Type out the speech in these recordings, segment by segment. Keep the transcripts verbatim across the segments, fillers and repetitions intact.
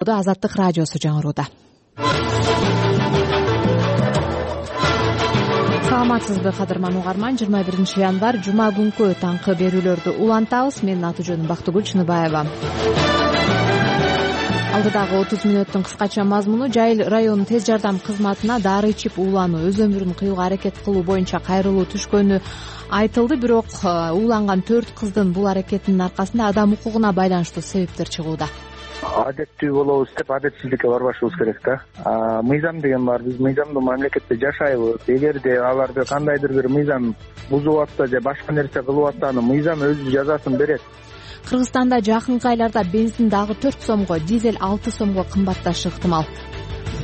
Азаттык радиосу жаңырууда. Саламатсызбы кадырман угарман, жыйырма биринчи январь жума күнкү таңкы берүүлөрдү улантабыз. Менин аты-жөнүм Бактыгүл Чыныбаева. Алдыдагы отуз мүнөттүн кыскача мазмуну: Жайыл районунун тез жардам кызматына дары ичип уулануу, өз өмүрүн кыюуга аракет кылуу боюнча кайрылуу түшкөнү айтылды. Бирок ууланган төрт кыздын бул аракетинин аркасында адам укугуна байланыштуу себептер чыгууда. Адеттүү болобуз деп адетсиздикке барбашыбыз керек да. Мыйзам деген бар. Биз мыйзамдуу мамлекетте жашайбыз. Эгерде аларды кандайдыр бир мыйзам бузуп атса же башка нерсе кылып атса, аны мыйзам өзү жазасын берет. Кыргызстанда жакынкы айларда бензин дагы төрт сомго, дизель алты сомго кымбатташы ыктымал.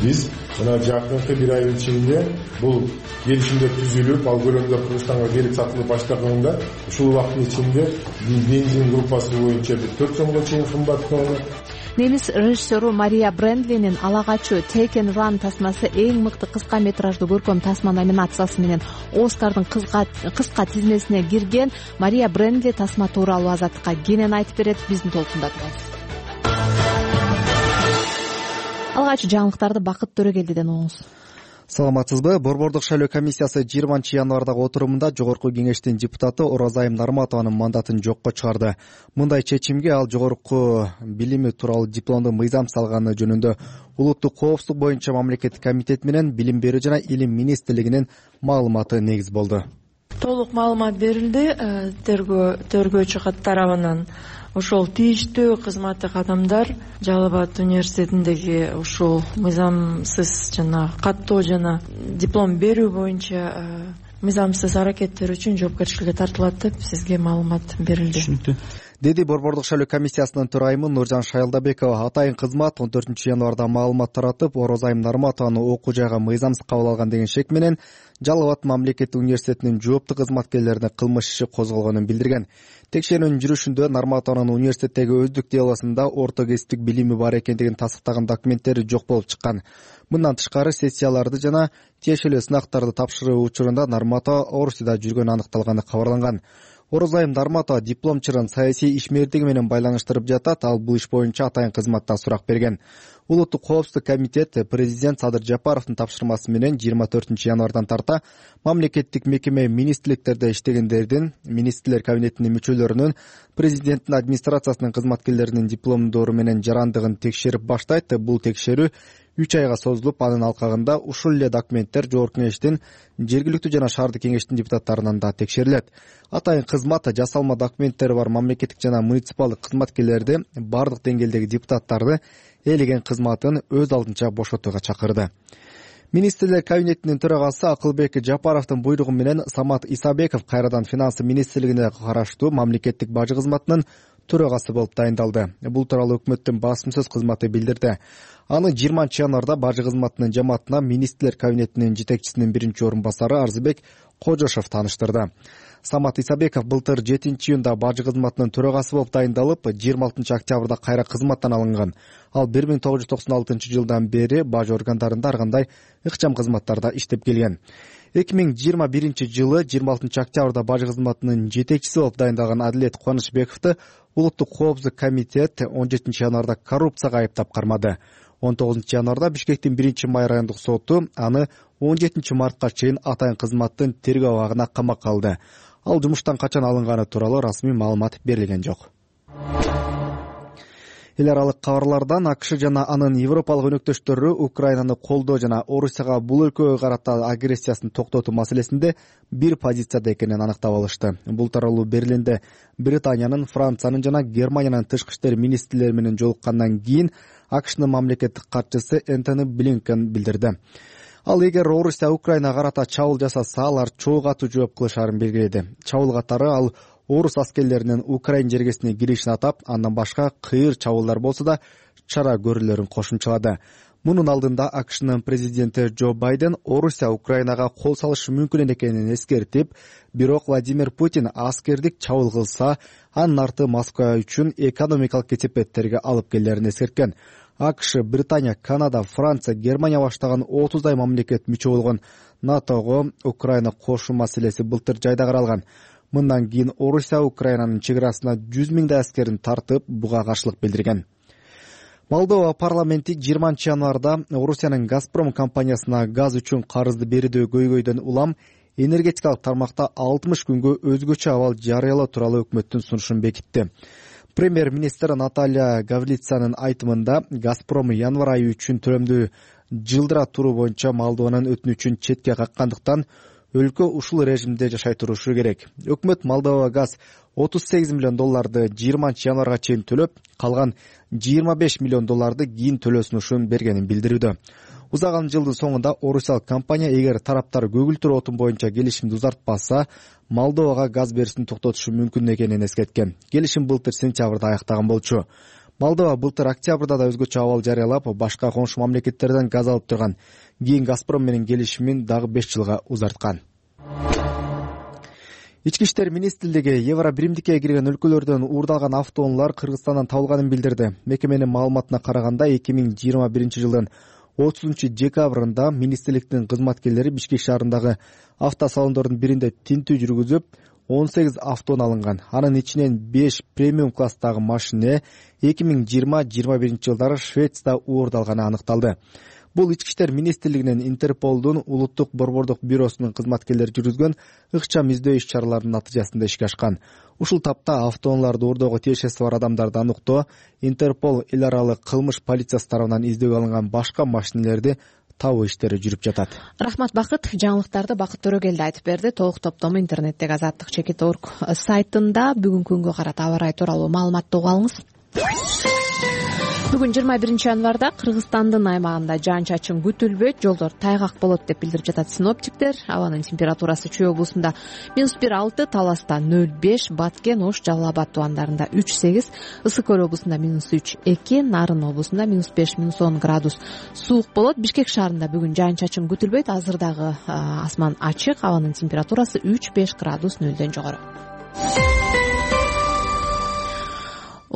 Биз мына жакынкы бир айдын ичинде бул келишимдер түзүлүп, ал көлөмдө Кыргызстанга келип сатылып баштаганда ушул убакыттын ичинде бензин группасы боюнча төрт сомго чейин кымбаттаган. Немис режиссеру Мария Брендлинин Ала качуу Take and Run тасмасы эң мыкты кыска метраждуу көркөм тасма номинациясы менен Оскардын кыска тизмесине кирген. Мария Брендли тасма тууралуу Азаттыкка кенен айтып берет. Биздин толкунда турабыз. Алгачкы жаңылыктарды Бакыт Төрөгелдиден угуңуз. Саламатсызбы. Борбордук шайлоо комиссиясы жыйырманчы январдагы отурумунда Жогорку кеңештин депутаты Оразайым Нарматованын мандатын жокко чыгарды. Мындай чечимге ал жогорку билими тууралуу дипломду мыйзам салганы жөнүндө улуттук коопсуздук боюнча мамлекеттик комитет менен Билим берүү жана Илим министрлигинин маалыматы негиз болду. Толук маалымат берилди. Тергөө тергөөчү тарабынан ошол тийиштүү кызматтык адамдар Жалал Абад университетиндеги ушул мыйзамсыз жана каттоо жана диплом берүү боюнча мыйзамсыз аракеттер үчүн жоопкерчиликке тартылат деп сизге маалымат берилди. Түшүнүктүү. Деди Борбордук шайлоо комиссиясынын төрайымы Нуржан Шайлдабекова. Атайын кызмат он төртүнчү январда маалымат таратып, Оразайым Нарматованы окуу жайга мыйзамсыз кабыл алган деген шек менен Жалал Абад мамлекеттик университетинин жооптуу кызматкерлерине кылмыш иши козголгонун билдирген. Текшерүүнүн жүрүшүндө Нарматованын университеттеги өздүк делосунда орто кесиптик билими бар экендигин тасдыктаган документтери жок болуп чыккан. Мындан тышкары сессияларды жана тиешелүү сынактарды тапшыруу учурунда Нарматова Орусияда жүргөнү аныкталганы кабарланган. Оразайым Нарматова диплом чырын саясий ишмердиги менен байланыштырып жатат. Ал бул иш боюнча атайын кызматта сурак берген. Улуттук коопсуздук комитет президент Садыр Жапаровдун тапшырмасы менен жыйырма төртүнчү январдан тарта мамлекеттик мекеме министрликтерде иштегендердин, министрлер кабинетинин мүчөлөрүнүн, президенттин администрациясынын кызматкерлеринин дипломдору менен жарандыгын текшерип баштайт. Бул текшерүү үч айга созулуп, анын алкагында ушул эле документтер жогорку кеңештин, жергиликтүү жана шаардык кеңештин депутаттарынан да текшерилет. Атайын кызмат жасалма документтери бар мамлекеттик жана муниципалдык кызматкерлерди, бардык деңгээлдеги депутаттарды ээлеген кызматын өз алдынча бошотууга чакырды. Министрлер кабинетинин төрагасы Акылбек Жапаровдун буйругу менен Самат Исабеков кайрадан финансы министрлигине караштуу мамлекеттик бажы кызматынын төрагасы болуп дайындалды. Бул тууралуу өкмөттүн басым-сөз кызматы билдирди. Аны жыйырманчы январда бажы кызматынын жамаатына министрлер кабинетинин жетекчисинин биринчи орун басары Арзыбек Кожошов тааныштырды. Самат Исабеков былтыр жетинчи июнда бажы кызматынын төрагасы болуп дайындалып, жыйырма алтынчы октябрда кайра кызматтан алынган. Ал бир миң тогуз жүз токсон алтынчы жылдан бери бажы органдарында ар кандай ыкчам кызматтарда иштеп келген. эки миң жыйырма биринчи жылы жыйырма алтынчы октябрда бажы кызматынын жетекчиси болуп дайындалган Адилет Кубанычбековду улуттук коопсуздук комитет он жетинчи январда коррупцияга айыптап кармады. он тогузунчу январда Бишкектин биринчи май райондук соту аны он жетинчи мартка чейин атайын кызматтын тергөө абагына камакка алды. Ал жумуштан качан алынганы тууралуу расмий маалымат берилген жок. Эл аралык кабарлардан АКШ жана анын европалык өнөктөштөрү Украинаны колдоо жана Орусияга бул өлкөгө карата агрессиясын токтотуу маселесинде бир позицияда экенин аныктап алышты. Бул тууралуу Берлинде Британиянын, Франциянын жана Германиянын тышкы иштер министрлери менен жолуккандан кийин АКШнын мамлекеттик катчысы Энтони Блинкен билдирди. Ал эгер Орусия Украинага карата чабуул жасаса, алар чоо катуу жооп кылышарын белгиледи. Чабуул катары ал орус аскерлеринин Украин жергесине киришин атап, андан башка кыйыр чабуулдар болсо да чара көрүүлөрүн кошумчалады. Мунун алдында АКШнын президенти Джо Байден Орусия Украинага кол салышы мүмкүн экенин эскертип, бирок Владимир Путин аскердик чабуул кылса, анын арты Москва үчүн экономикалык кесепеттерге алып келерин эскерткен. АКШ, Британия, Канада, Франция, Германия баштаган отуздай мамлекет мүчө болгон НАТОго Украина кошуу маселеси былтыр жайда каралган. Мындан кийин Орусия Украинанын чек арасына жүз миңдей аскерин тартып, буга каршылык билдирген. Молдова парламенти жыйырманчы январда Орусиянын Газпром компаниясына газ үчүн карызды берүүдө көйгөйдөн улам энергетикалык тармакта алтымыш күнгө өзгөчө абал жарыялоо тууралуу өкмөттүн сунушун бекитти. Премьер-министр Наталья Гаврилицанын айтымында Газпром январь айы үчүн төлөмдү жылдыра туруу боюнча Молдованын өтүнүчүн четке каккандыктан өлкө ушул режимде жашай турушу керек. Өкмөт Молдова газ отуз сегиз миллион долларды жыйырманчы январга чейин төлөп, калган жыйырма беш миллион долларды кийин төлөсүнүшүн бергенин билдирүүдө. Узаган жылдын соңунда орусиялык компания эгер тараптар көгүлтүр отун боюнча келишимди узартпаса, Молдовага газ беришин токтотушу мүмкүн экенин эскерткен. Келишим былтыр сентябрда аяктаган болчу. Молдова былтыр октябрда да өзгөчө абал жарыялап, башка коңшу мамлекеттерден газ алып турган. Кийин Газпром менен келишимин дагы беш жылга узарткан. Ички иштер министрлиги Евро биримдикке кирген өлкөлөрдөн уурдалган автоунаалар Кыргызстандан табылганын билдирди. Мекеменин маалыматына караганда эки миң жыйырма биринчи жылдын отузунчу декабрында министрликтин кызматкерлери Бишкек шаарындагы автосалондордун биринде тинтүү жүргүзүп, он сегиз автоунаа алынган. Анын ичинен беш премиум класстагы машина эки миң жыйырма жыйырма биринчи жылдары Швецияда уурдалганы аныкталды. Бул ички иштер министрлигинин Интерполдун улуттук борбордук бюросунун кызматкерлери жүргүзгөн ыкчам издөө иш-чараларынын натыйжасында ишке ашкан. Ушул тапта автоунааларды уурдоого тиешеси бар адамдарды аныктоо, Интерпол эл аралык кылмыш полициясы тарабынан издөөгө алынган башка машинелерди табуу иштери жүрүп жатат. Рахмат Бакыт. Жаңылыктарды Бакыт Төрөгелди айтып берди. Толук топтому интернеттеги азаттык чекит точка орг сайтында бүгүнкү күнгө карата аба ырайы тууралуу маалыматты угуп алыңыз. Бүгүн жыйырма биринчи январда Кыргызстандын аймагында жаан-чачын күтүлбөйт, жолдор тайгак болот деп билдирип жатат синоптиктер. Абанын температурасы Чүй облусунда минус бир алты, Таласта нөл беш, Баткен, Ош, Жалал Абад тубандарында үч сегиз, Ысык Көл облусунда минус үч эки, Нарын облусунда минус беш, минус он градус суук болот. Бишкек шаарында бүгүн жаан-чачын күтүлбөйт, азыр дагы асман ачык, абанын температурасы үч беш градус нөлдөн жогору.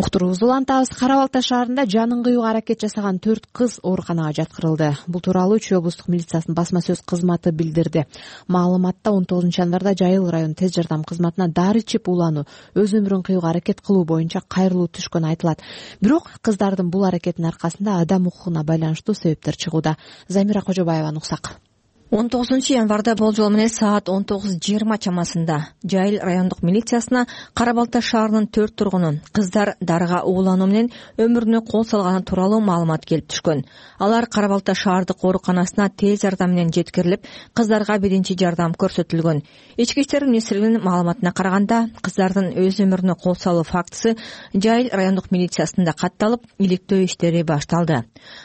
Уктуруубузду улантабыз. Кара Балта шаарында жанын кыюуга аракет жасаган төрт кыз ооруканага жаткырылды. Бул тууралуу Чүй облустук милициясынын басма сөз кызматы билдирди. Маалыматта он тогузунчу январда Жайыл район тез жардам кызматына дары ичип улануу, өз өмүрүн кыюуга аракет кылуу боюнча кайрылуу түшкөн айтылат. Бирок кыздардын бул аракетинин аркасында адам укугуна байланыштуу себептер чыгууда. Замира Кожобаеваны уксак. он тогузунчу январда болжол менен саат он тогуз жыйырма чамасында Жайыл райондук милициясына Кара Балта шаарынын төрт тургуну кыздар дарыга уулануу менен өмүрүнө кол салганы тууралуу маалымат келип түшкөн. Алар Кара Балта шаардык ооруканасына тез жардам менен жеткирилип, кыздарга биринчи жардам көрсөтүлгөн. Ички иштер министрлигинин маалыматына караганда, кыздардын өз өмүрүнө кол салуу фактысы Жайыл райондук милициясында катталып, иликтөө иштери башталды.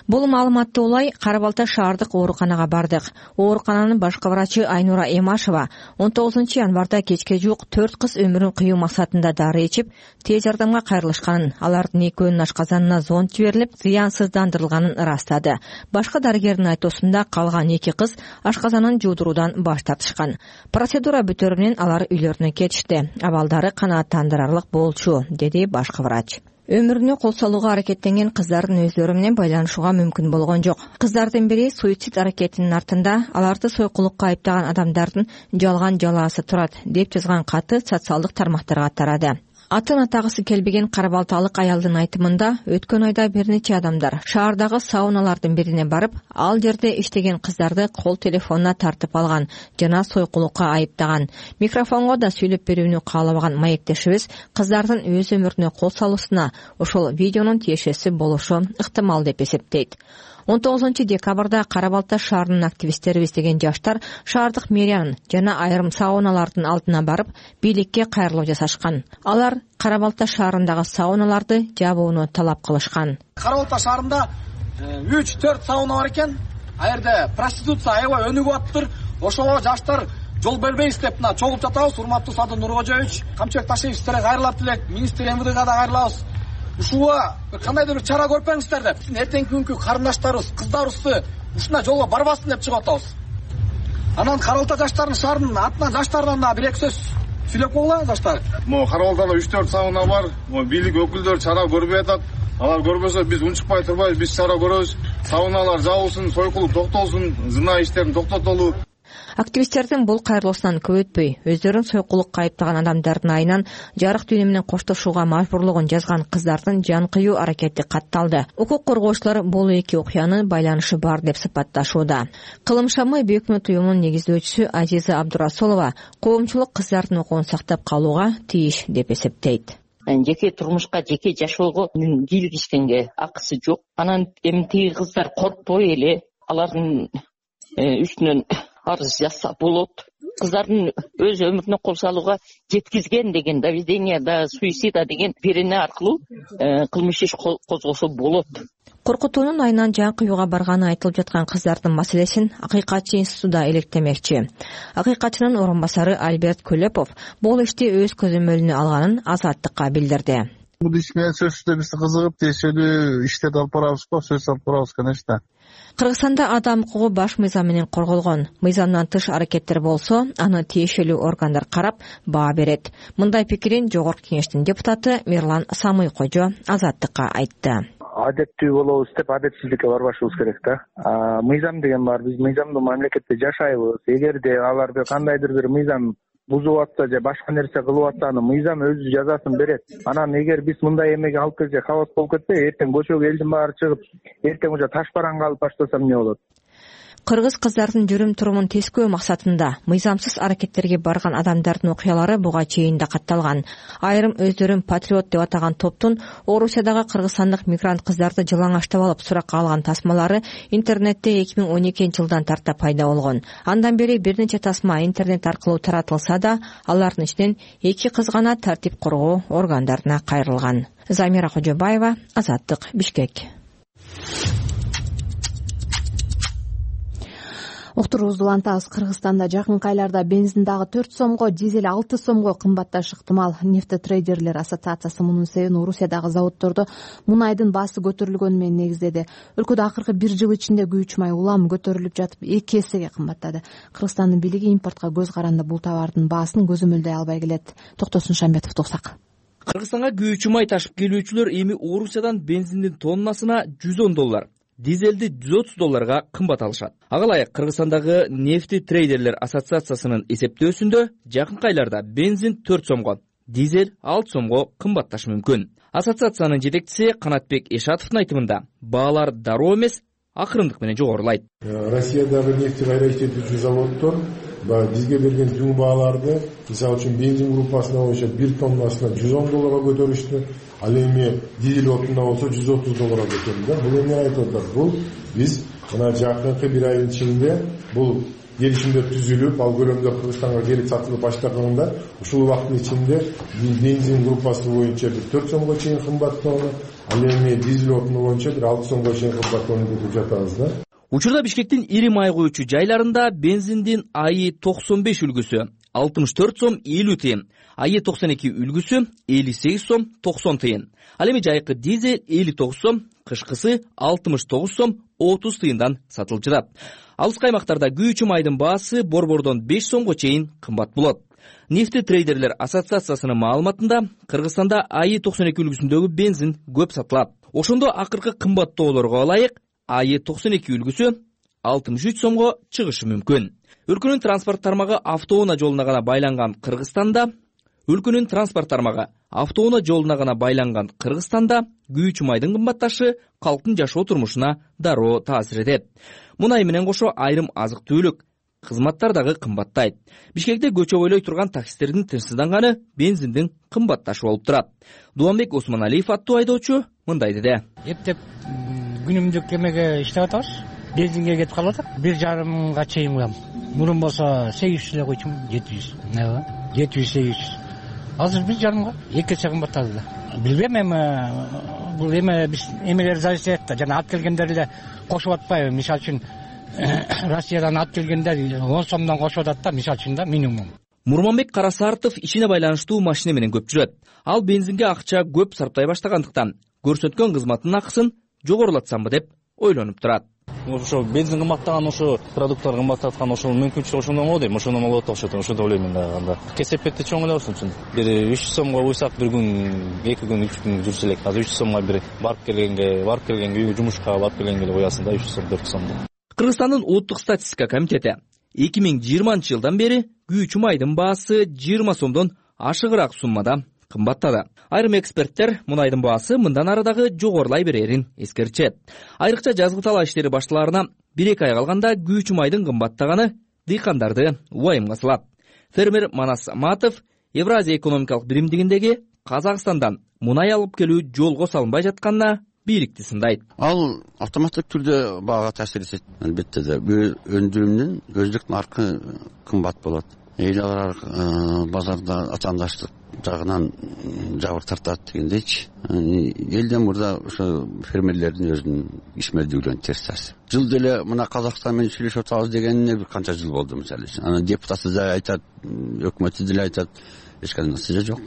Бул маалыматты улай Кара Балта шаардык ооруканага бардык. Оорукананын башкы врачы Айнура Эмашева он тогузунчу январда кечке жуук төрт кыз өмүрүн кыюу максатында дары ичип, тез жардамга кайрылышканын, алардын экөөнүн ашказанына зонд жиберилип, зыянсыздандырылганын ырастады. Башка дарыгердин айтуусунда калган эки кыз ашказанын жуудуруудан баш тартышкан. Процедура бүтөрү менен алар үйлөрүнө кетишти. Абалдары канааттандырарлык болчу, деди башкы врач. Өмүрүнө кол салууга аракеттенген кыздардын өздөрү менен байланышууга мүмкүн болгон жок. Кыздардын бири суицид аракетинин артында аларды сойкулукка айыптаган адамдардын жалган жалаасы турат, деп жазган каты социалдык тармактарга тарады. Атын атагысы келбеген Кара Балталык аялдын айтымында, өткөн айда бир нече адамдар шаардагы сауналардын бирине барып, ал жерде иштеген кыздарды кол телефонуна тартып алган жана сойкулукка айыптаган. Микрофонго да сүйлөп берүүнү каалабаган маектешибиз кыздардын өз өмүрүнө кол салуусуна ошол видеонун тиешеси болушу ыктымал деп эсептейт. он тогузунчу декабрда Кара Балта шаарынын активисттери издеген жаштар шаардык мэриянын жана айрым сауналардын алдына барып, бийликке кайрылуу жасашкан. Алар Кара Балта шаарындагы сауналарды жабууну талап кылышкан. Кара Балта шаарында үч төрт сауна бар экен. А жерде проституция аябай өнүгүп атыптыр. Ошого жаштар жол бербейбиз деп мына чогулуп жатабыз. Урматтуу Садыр Нуркожоевич, Камчыбек Ташиевич, силерге кайрылат элек, министр МВДга да кайрылабыз. Ушуга кандайдыр бир чара көрүп бериңиздер деп. Эртеңки күнкү карындаштарыбыз, кыздарыбызды ушундай жолго барбасын деп чыгып атабыз. Анан Кара Балта жаштарынын шаарынын атынан жаштардан да бир эки сөз сүйлөп коелу жаштар. Могу Кара Балтада үч төрт сауна бар. Могу бийлик өкүлдөрү чара көрбөй атат. Алар көрбөсө биз унчукпай турбайбыз, биз чара көрөбүз. Сауналар жабылсын, сойкулук токтолсун, зына иштерин токтотолу. Активисттердин бул кайрылуусунан көп өтпөй өздөрүн сойкулукка айыптаган адамдардын айынан жарык дүйнө менен коштошууга мажбурлугун жазган кыздардын жан кыюу аракети катталды. Укук коргоочулар бул эки окуянын байланышы бар деп сыпатташууда. Кылым шамы өкмөт уюмунун негиздөөчүсү Азиза Абдурасулова коомчулук кыздардын укугун сактап калууга тийиш деп эсептейт. Жеке турмушка, жеке жашоого киргизгенге акысы жок. Анан эми тиги кыздар коркпой эле алардын үстүнөн арыз жазса болот. Кыздардын өз өмүрүнө кол салууга жеткизген деген доведение да суицида деген берене аркылуу кылмыш иш козгосо болот. Коркутуунун айынан жан кыюуга барганы айтылып жаткан кыздардын маселесин Акыйкатчы институтуда илектемекчи. Акыйкатчынын орун басары Альберт Көлөпов бул ишти өз көзөмөлүнө алганын Азаттыкка билдирди. Бул иш менен сөзсүздө биз кызыгып тиешелүү иштерди алып барабыз го, сөз алып барабыз, конечно. Кыргызстанда адам укугу баш мыйзам менен корголгон. Мыйзамдан тыш аракеттер болсо, аны тиешелүү органдар карап баа берет. Мындай пикирин Жогорку Кеңештин депутаты Мирлан Самый Кожо Азаттыкка айтты. Адеттүү болобуз деп адетсиздикке барбашыбыз керек да. Мыйзам деген бар, биз мыйзамдуу мамлекетте жашайбыз. Эгерде аларды кандайдыр бир мыйзам бузуп атса же башка нерсе кылып атса, аны мыйзам өзү жазасын берет. Анан эгер биз мындай эмеге алып келсек, хабас болуп кетпей, эртең көчөгө элдин баары чыгып, эртең уже таш бараңга алып баштаса эмне болот? Кыргыз кыздардын жүрүм-турумун тескөө максатында мыйзамсыз аракеттерге барган адамдардын окуялары буга чейин да катталган. Айрым өздөрүн патриот деп атаган топтун Орусиядагы кыргызстандык мигрант кыздарды жалаңаштап алып суракка алган тасмалары интернетте эки миң он экинчи жылдан тарта пайда болгон. Андан бери бир нече тасма интернет аркылуу таратылса да, алардын ичинен эки кыз гана тартип коргоо органдарына кайрылган. Замира Кожобаева, Азаттык, Бишкек. Уктуруубузду улантабыз. Кыргызстанда жакынкы айларда бензин дагы төрт сомго, дизель алты сомго кымбатташы ыктымал. Нефтетрейдерлер ассоциациясы мунун себебин Орусиядагы заводдордо мунайдын баасы көтөрүлгөнү менен негиздеди. Өлкөдө акыркы бир жыл ичинде күйүүчү май улам көтөрүлүп жатып, эки эсеге кымбаттады. Кыргызстандын бийлиги импортко көз каранды бул товардын баасын көзөмөлдөй албай келет. Токтосун Шамбетов туксак. Кыргызстанга күйүүчү май ташып келүүчүлөр эми Орусиядан бензиндин тоннасына жүз он доллар, дизелди жүз отуз долларга кымбат алышат. Ага ылайык Кыргызстандагы нефтетрейдерлер ассоциациясынын эсептөөсүндө жакынкы айларда бензин төрт сомго, дизель алты сомго кымбатташы мүмкүн. Ассоциациянын жетекчиси Канатбек Эшатовдун айтымында баалар дароо эмес, акырындык менен жогорулайт. Россиядагы нефти кайра иштетүүчү заводдор бизге берген түн бааларды, мисалы үчүн бензин группасына боюнча бир тоннасына жүз он долларга көтөрүштү. Ал эми дизель отунда болсо жүз отуз долларга көтөрүлдү. Бул эмне айтып атат? Бул биз мына жакынкы бир айдын ичинде бул келишимдер түзүлүп, ал көлөмдө Кыргызстанга келип сатылып баштаганда, ушул убакыттын ичинде бензин группасы боюнча бир төрт сомго чейин кымбаттоону, ал эми дизель отуну боюнча бир алты сомго чейин кымбаттоону күтүп жатабыз да. Учурда Бишкектин ири май куючу жайларында бензиндин АИ токсон беш үлгүсү алтымыш төрт сом элүү тыйын, АИ токсон эки үлгүсү элүү сегиз сом токсон тыйын. Ал эми жайкы дизель элүү тогуз сом, кышкысы алтымыш тогуз сом отуз тыйындан сатылып жатат. Алыскы аймактарда күйүүчү майдын баасы борбордон беш сомго чейин кымбат болот. Нефтетрейдерлер ассоциациясынын маалыматында Кыргызстанда АИ токсон эки үлгүсүндөгү бензин көп сатылат. Ошондо акыркы кымбаттоолорго ылайык АИ токсон эки үлгүсү алтымыш үч сомго чыгышы мүмкүн. Өлкөнүн транспорт тармагы автоунаа жолуна гана байланган Кыргызстанда Өлкөнүн транспорт тармагы автоунаа жолуна гана байланган Кыргызстанда күйүүчү майдын кымбатташы калктын жашоо турмушуна дароо таасир этет. Мунай менен кошо айрым азык-түлүк кызматтар дагы кымбаттайт. Бишкекте көчө бойлой турган таксистердин тынчсызданганы бензиндин кымбатташы болуп турат. Дуанбек Осмоналиев аттуу айдоочу мындай деди. Эптеп күнүмдүк эмеге иштеп атабыз. Бензинге кетип калып атат. бир жарым мыңга чейин куям. Мурун болсо сегиз жүз эле койчумун, жети жүз. Ооба, жети жүз сегиз жүз. Азыр бир жарымга эки эсе кымбаттады да. Билбейм, эми бул эме биз эмелер зависит этет да. Жана алып келгендер эле кошуп атпайбы? Мисалы үчүн Россиядан алып келгендер он сомдон кошуп атат да, мисалы үчүн да, минимум. Мурманбек Карасартов ишине байланыштуу машина менен көп жүрөт. Ал бензинге акча көп сарптай баштагандыктан көрсөткөн кызматтын акысын жогорулатсамбы деп ойлонуп турат. Ошо бензин кымбаттаган, ошо продукттар кымбаттаткан, ошол мүмкүнчүлүк ошондон болот дейм. Ошондон болот окшойт, ошондо ойлойм да анда. Кесепетти чоң эле болсун үчүн. Бир үч жүз сомго буйсак бир күн, эки күн, үч күн жүрсө элек. Азыр үч жүз сомго бир барып келгенге, барып келгенге, үйгө жумушка барып келгенге эле коясың да, үч жүз сом, төрт жүз сом. Кыргызстандын улуттук статистика комитети эки миң жыйырманчы жылдан бери күйүүчү майдын баасы жыйырма сомдон ашыгыраак суммада кымбаттады. Айрым эксперттер мунайдын баасы мындан ары дагы жогорулай берерин эскертишет. Айрыкча жазгы талаа иштери башталаарына бир эки ай калганда күйүүчү майдын кымбаттаганы дыйкандарды убайымга салат. Фермер Манас Саматов Евразия экономикалык биримдигиндеги Казакстандан мунай алып келүү жолго салынбай жатканына бийликти сындайт. Ал автоматтык түрдө баага таасир этет. Албетте да бир өндүрүмдүн өздүк наркы кымбат болот. Эл аралык базарда атаандаштык жагынан жабыр тартат дегендейчи. Элден мурда ошо фермерлердин өзүнүн ишмердүүлүгүнө терс таасир. Жыл деле мына Казакстан менен сүйлөшүп атабыз дегенине бир канча жыл болду мисалы. Анан депутаты да айтат, өкмөтү деле айтат, эч кандай натыйжа жок.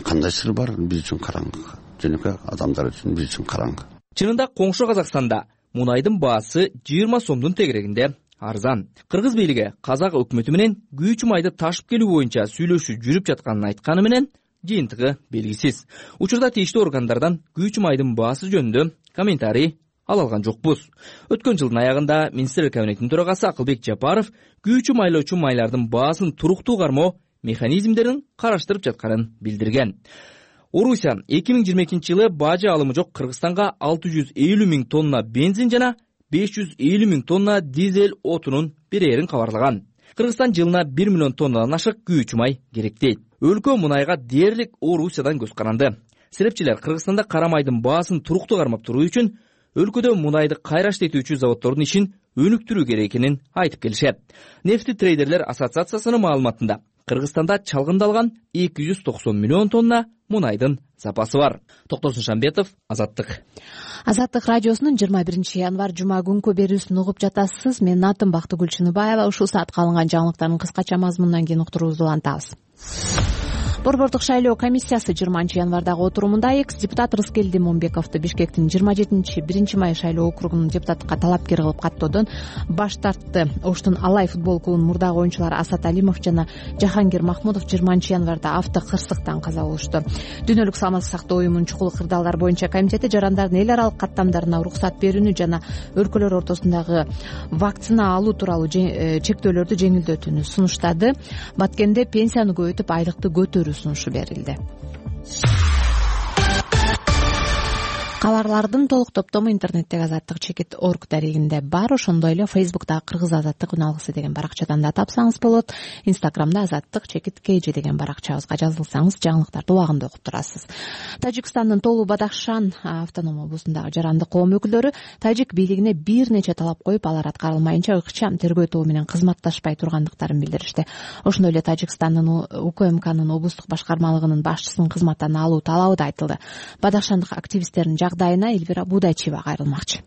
Кандай сыр бар? Биз үчүн караңгы. Жөнөкөй адамдар үчүн биз үчүн караңгы. Чынында коңшу Казакстанда мунайдын баасы жыйырма сомдун тегерегинде арзан. Кыргыз бийлиги Казак өкмөтү менен күйүүчү майды ташып келүү боюнча сүйлөшүү жүрүп жатканын айтканы менен жыйынтыгы белгисиз. Учурда тийиштүү органдардан күйүүчү майдын баасы жөнүндө комментарий ала алган жокпуз. Өткөн жылдын аягында Министрлер кабинетинин төрагасы Акылбек Жапаров күйүүчү майлоочу майлардын баасын туруктуу кармоо механизмдерин караштырып жатканын билдирген. Орусия эки миң жыйырма экинчи жылы бажы алымы жок Кыргызстанга алты жүз элүү миң тонна бензин жана беш жүз элүү миң тонна дизель отунун берерин кабарлаган. Кыргызстан жылына бир миллион тоннадан ашык күйүүчү май керек дейт. Өлкө мунайга дээрлик Орусиядан көз каранды. Себепчилер Кыргызстанда кара майдын баасын туруктуу кармап туруу үчүн өлкөдө мунайды кайра иштетүүчү заводдордун ишин өнүктүрүү керек экенин айтып келишет. Нефти трейдерлер ассоциациясынын маалыматында Кыргызстанда чалгындалган эки жүз токсон миллион тонна мунайдын запасы бар. Токтосун Шамбетов, Азаттык. Азаттык радиосунун жыйырма биринчи январь жума күнкү берүүсүн угуп жатасыз. Менин атым Бактыгүл Чыныбаева. Ушул саатка алынган жаңылыктардын кыскача мазмунунан кийин уктуруубузду улантабыз. Борбордук шайлоо комиссиясы жыйырманчы январдагы отурумунда экс-депутат Рыскелди Момбековду Бишкектин жыйырма жетинчи биринчи май шайлоо округунун депутаттыкка талапкер кылып каттоодон баш тартты. Оштун Алай футбол клубунун мурдагы оюнчулары Асат Алимов жана Жахангир Махмудов жыйырманчы январда авто кырсыктан каза болушту. Дүйнөлүк саламаттык сактоо уюмунун чукул кырдаалдар боюнча комитети жарандардын эл аралык каттамдарына уруксат берүүнү жана өлкөлөр ортосундагы вакцина алуу тууралуу чектөөлөрдү жеңилдетүүнү сунуштады. Баткенде пенсияны көбөйтүп айлыкты көтөрүү сунушу берилди. Кабарлардын толук топтому интернеттеги азаттык чекит точка орг дарегинде бар. Ошондой эле Фейсбуктагы Кыргыз азаттык үн алгысы деген баракчадан да тапсаңыз болот. Инстаграмда азаттык чекит кж деген баракчабызга жазылсаңыз жаңылыктарды убагында окуп турасыз. Тажикстандын Толу Бадахшан автоном облусундагы жарандык коом өкүлдөрү тажик бийлигине бир нече талап коюп, алар аткарылмайынча ыкчам тергөө тобу менен кызматташпай тургандыктарын билдиришти. Ошондой эле Тажикстандын УКМКнын облустук башкармалыгынын башчысын кызматтан алуу талабы да айтылды. Бадахшандык активисттердин жагдайына Эльвира Будайчева кайрылмакчы.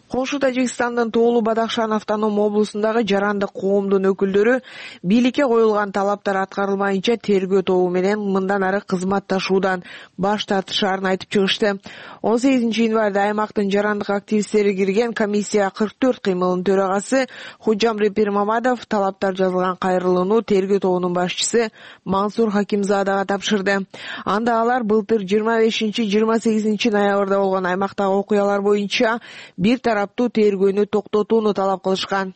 Коңшу Тажикстандын Тоолу Бадахшан автоном облусундагы жарандык коомдун өкүлдөрү бийликке коюлган талаптар аткарылмайынча тергөө тобу менен мындан ары кызматташуудан баш тартышаарын айтып чыгышты. он сегизинчи январда аймактын жарандык активисттери кирген комиссия кырк төрт кыймылынын төрагасы Худжамри Пирмамадов талаптар жазылган кайрылууну тергөө тобунун башчысы Мансур Хакимзадага тапшырды. Анда алар былтыр жыйырма бешинчи жыйырма сегизинчи ноябрда болгон аймактагы окуялар боюнча бир тараптуу тергөөнү токтотууну талап кылышкан.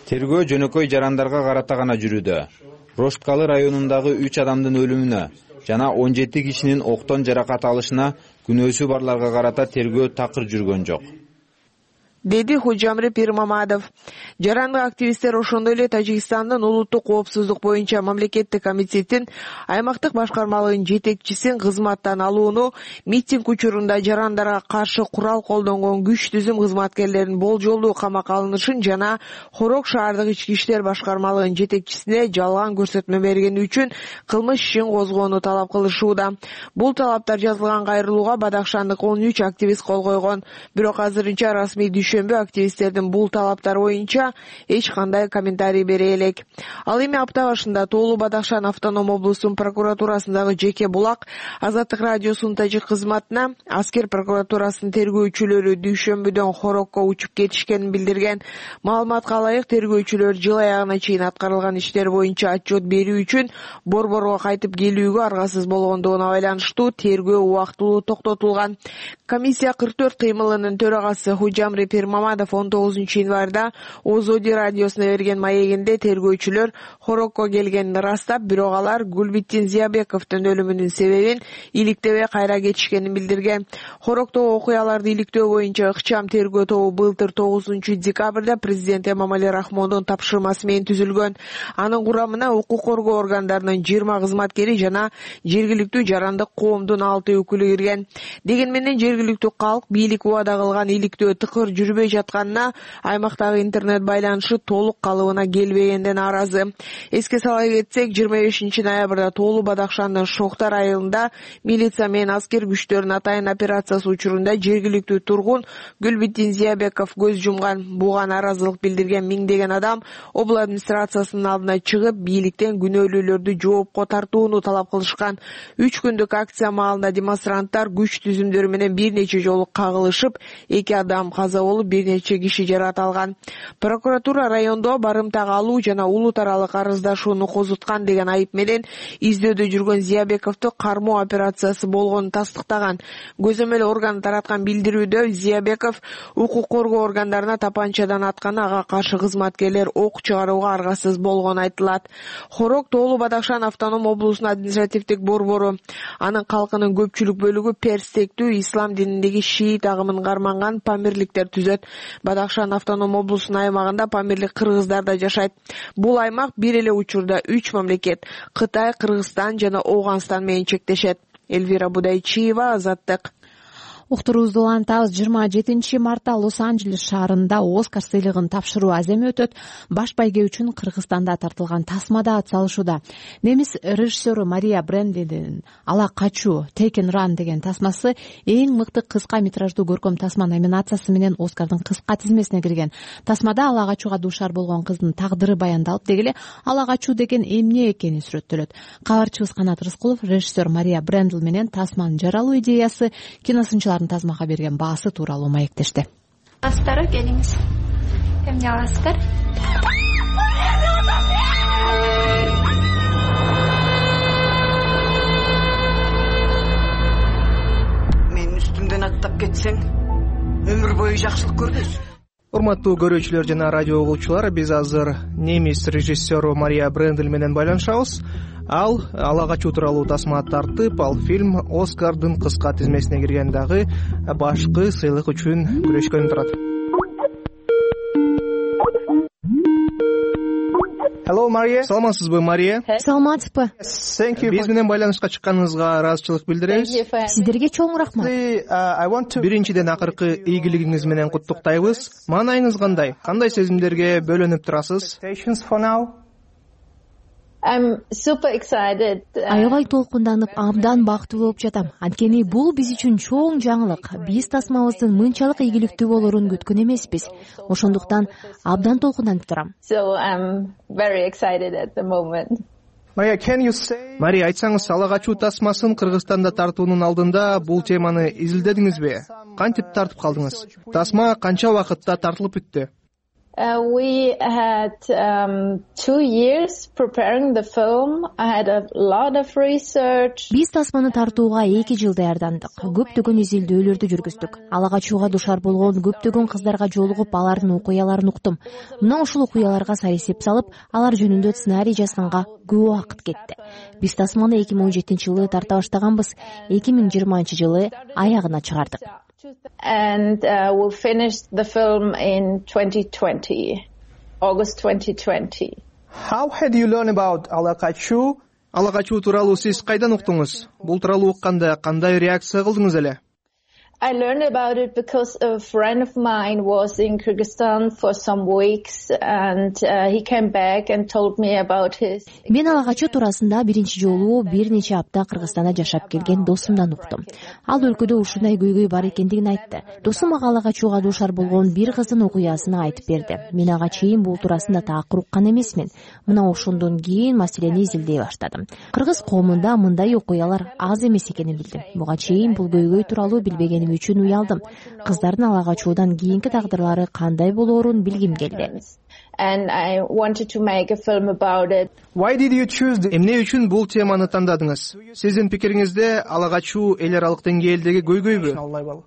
Тергөө жөнөкөй жарандарга карата гана жүрүүдө. Рошткалы районундагы үч адамдын өлүмүнө жана он жети кишинин октон жаракат алышына күнөөсү барларга карата тергөө такыр жүргөн жок, деди Худжамри Пирмамадов. Жарандык активисттер ошондой эле Тажикстандын улуттук коопсуздук боюнча мамлекеттик комитеттин аймактык башкармалыгынын жетекчисин кызматтан алууну, митинг учурунда жарандарга каршы курал колдонгон күч түзүм кызматкерлеринин болжолдуу камакка алынышын жана Хорок шаардык ички иштер башкармалыгынын жетекчисине жалган көрсөтмө бергени үчүн кылмыш ишин козгоону талап кылышууда. Бул талаптар жазылган кайрылууга Бадахшандык он үч активист кол койгон. Бирок азырынча расмий Дүйшөмбү активисттердин бул талаптар боюнча эч кандай комментарий бере элек. Ал эми апта башында Тоолу Бадахшан автоном облусунун прокуратурасындагы Жеке Булак Азаттык радиосунун тажик кызматына аскер прокуратурасынын тергөөчүлөрү Дүйшөмбүдөн Хорокко учуп кетишкенин билдирген. Маалыматка ылайык, тергөөчүлөр жыл аягына чейин аткарылган иштер боюнча отчет берүү үчүн борборго кайтып келүүгө аргасыз болгондугуна байланыштуу тергөө убактылуу токтотулган. Комиссия кырк төрт кыймылынын төрагасы Худжамри Бирмамадов он тогузунчу январда Озоди радиосуна берген маегинде тергөөчүлөр хорокко келгенин ырастап, бирок алар Гүлбиттин Зиябековдун өлүмүнүн себебин иликтебей кайра кетишкенин билдирген. Хороктогу окуяларды иликтөө боюнча ыкчам тергөө тобу былтыр тогузунчу декабрда президент Эмомали Рахмондун тапшырмасы менен түзүлгөн. Анын курамына укук коргоо органдарынын жыйырма кызматкери жана жергиликтүү жарандык коомдун алты өкүлү кирген. Деген менен жергиликтүү калк бийлик убада кылган иликтөө тыкыр жүрбөй жатканына, аймактагы интернет байланышы толук калыбына келбегенден нааразы. Эске сала кетсек, жыйырма бешинчи ноябрда Тоолу Бадакшандын Шоктар айылында милиция менен аскер күчтөрүнүн атайын операциясы учурунда жергиликтүү тургун Гүлбиттин Зиябеков көз жумган. Буга нааразылык билдирген миңдеген адам обл администрациясынын алдына чыгып, бийликтен күнөөлүүлөрдү жоопко тартууну талап кылышкан. Үч күндүк акция маалында демонстранттар күч түзүмдөрү менен бир нече жолу кагылышып, эки адам каза болуп, бир нече киши жаракат алган. Прокуратура райондо барымтага алуу жана улут аралык арыздашууну козуткан деген айып менен издөөдө жүргөн Зиябековду кармоо операциясы болгонун тастыктаган. Көзөмөл орган тараткан билдирүүдө Зиябеков укук коргоо органдарына тапанчадан атканы, ага каршы кызматкерлер ок чыгарууга аргасыз болгону айтылат. Хорок Тоолу Бадакшан автоном облусунун административдик борбору. Анын калкынын көпчүлүк бөлүгү перстектүү ислам дининдеги шиит агымын карманган памирликтер түзөт. Бадакшан автоном облусунун аймагында памирлик кыргыздар да жашайт. Бул аймак бир эле учурда үч мамлекет — Кытай, Кыргызстан жана Ооганстан менен чектешет. Элвира Будайчиева, Азаттык. Уктуруубузду улантабыз. жыйырма жетинчи мартта Лос-Анджелес шаарында Оскар сыйлыгын тапшыруу аземи өтөт. Баш байге үчүн Кыргызстанда тартылган тасмада ат салышууда. Немис режиссеру Мария Брендлиндин «Ала качуу» Taken Run деген тасмасы эң мыкты кыска метраждуу көркөм тасма номинациясы менен Оскардын кыска тизмесине кирген. Тасмада ала качууга дуушар болгон кыздын тагдыры баяндалып, деги эле ала качуу деген эмне экени сүрөттөлөт. Кабарчыбыз Канат Рыскулов режиссер Мария Брендл менен тасманын жаралуу идеясы, киносынчылар тасмага берген баасы тууралуу маектешти. Астары келиңиз. Эмне аласыздар? Менин үстүмдөн аттап кетсең, өмүр бою жакшылык көрбөйсүң. Урматтуу көрүүчүлөр жана радио угуучулар, биз азыр немис режиссеру Мария Брендл менен байланышабыз. Ал ала качуу тууралуу тасма тартып, ал фильм Оскардын кыска тизмесине кирген, дагы башкы сыйлык үчүн күрөшкөнү турат. Hello, Мария. Саламатсызбы, Мария? Саламатсызбы. Биз менен байланышка чыкканыңызга ыраазычылык билдиребиз. Сиздерге чоң рахмат. Биринчиден акыркы ийгилигиңиз менен куттуктайбыз. Маанайыңыз кандай? Кандай сезимдерге бөлөнүп турасыз? Аябай толкунданып, абдан бактылуу болуп жатам. Анткени бул биз үчүн чоң жаңылык. Биз тасмабыздын мынчалык ийгиликтүү болорун күткөн эмеспиз. Ошондуктан абдан толкунданып турам. Мария, айтсаңыз, ала качуу тасмасын Кыргызстанда тартуунун алдында бул теманы изилдедиңизби? Кантип тартып калдыңыз? Тасма канча убакытта тартылып бүттү? Uh, we had um, two years preparing the film. I had a lot of research. Биз тасманы тартууга эки жыл даярдандык. Көптөгөн изилдөөлөрдү жүргүздүк. Ала качууга душар болгон көптөгөн кыздарга жолугуп, алардын окуяларын уктум. Мына ушул окуяларга сарисеп салып, алар жөнүндө сценарий жазганга көп убакыт кетти. Биз тасманы эки миң он жетинчи жылы тарта баштаганбыз. эки миң жыйырманчы жылы аягына чыгардык. And uh, we finished the film in twenty twenty, August twenty twenty. How had you learned about ала качуу? Ала качуу тууралуу сиз кайдан уктуңуз? Бул тууралуу укканда кандай реакция кылдыңыз эле? I learned about it because a friend of mine was in Kyrgyzstan for some weeks and uh, he came back and told me about his. Мен ала качуу туурасында биринчи жолу бир нече апта Кыргызстанда жашап келген досумдан уктум. Ал өлкөдө ушундай көйгөй бар экендигин айтты. Досум ага ала качууга дуушар болгон бир кыздын окуясын айтып берди. Мен ага чейин бул туурасында такыр уккан эмесмин. Мына ошондон кийин маселени изилдей баштадым. Кыргыз коомунда мындай окуялар аз эмес экенин билдим. Буга чейин бул көйгөй тууралуу билбегеним үчүн уялдым. Кыздардын ала качуудан кийинки тагдырлары кандай болоорун билгим келди. And I wanted to make a film about it. Why did you choose the... Эмне үчүн бул теманы тандадыңыз? Сиздин пикириңизде ала качуу эл аралык деңгээлдеги көйгөйбү?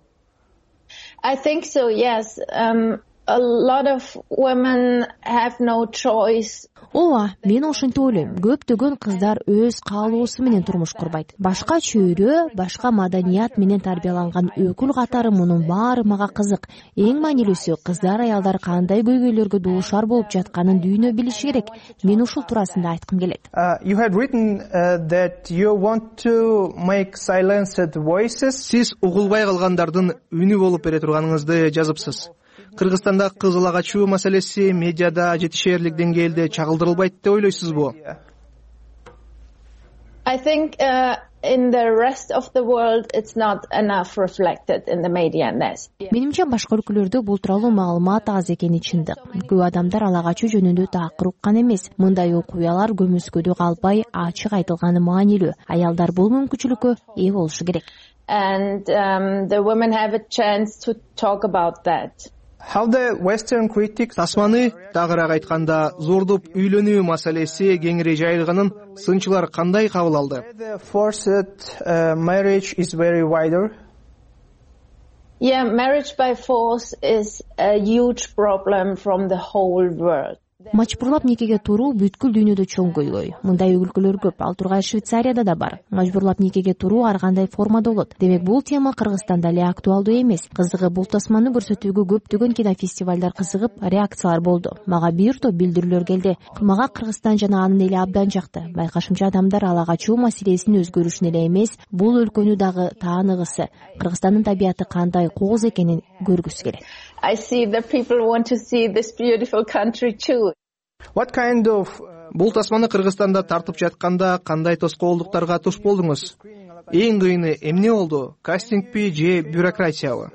I think so, yes. Um, a lot of women have no choice. Ооба, мен ошентип ойлойм. Көптөгөн кыздар өз каалоосу менен турмуш курбайт. Башка чөйрө, башка маданият менен тарбияланган өкүл катары мунун баары мага кызык. Эң маанилүүсү, кыздар, аялдар кандай көйгөйлөргө дуушар болуп жатканын дүйнө билиши керек. Мен ушул туурасында айткым келет. You had written uh, that you want to make silenced voices. Сиз угулбай калгандардын үнү болуп бере турганыңызды жазыпсыз. Кыргызстанда кыз ала качуу маселеси медиада жетишээрлик деңгээлде чагылдырылбайт деп ойлойсузбу? I think uh, in the rest of the world it's not enough reflected in the media. Менимче башка өлкөлөрдө бул тууралуу маалымат аз экени чындык. Көп адамдар ала качуу жөнүндө такыр уккан эмес. Мындай окуялар көмүскөдө калбай ачык айтылганы маанилүү. Аялдар бул мүмкүнчүлүккө ээ болушу керек. And um, the women have a chance to talk about that. How the Western critics тасманы тагыраак айтканда зордуп үйлөнүү маселеси кеңири жайылганын сынчылар кандай кабыл алды? The forced uh, marriage is very wider. Yeah, marriage by force is a huge problem from the whole world. Мажбурлап никеге туруу бүткүл дүйнөдө чоң көйгөй. Мындай өлкөлөр көп. Ал тургай Швейцарияда да бар. Мажбурлап никеге туруу ар кандай формада болот. Демек бул тема Кыргызстанда эле актуалдуу эмес. Кызыгы бул тасманы көрсөтүүгө көптөгөн кинофестивалдар кызыгып, реакциялар болду. Мага бир топ билдирүүлөр келди. Мага Кыргызстан жана анын эли абдан жакты. Байкашымча адамдар ала качуу маселесин өзгөрүшүн эле эмес, бул өлкөнү дагы тааныгысы, Кыргызстандын табияты кандай кооз экенин көргүсү келет. I see that people want to see this beautiful country too. What kind of бул тасманы Кыргызстанда тартып жатканда кандай тоскоолдуктарга туш болдуңуз? Эң кыйыны эмне болду? Кастингпи же бюрократиябы?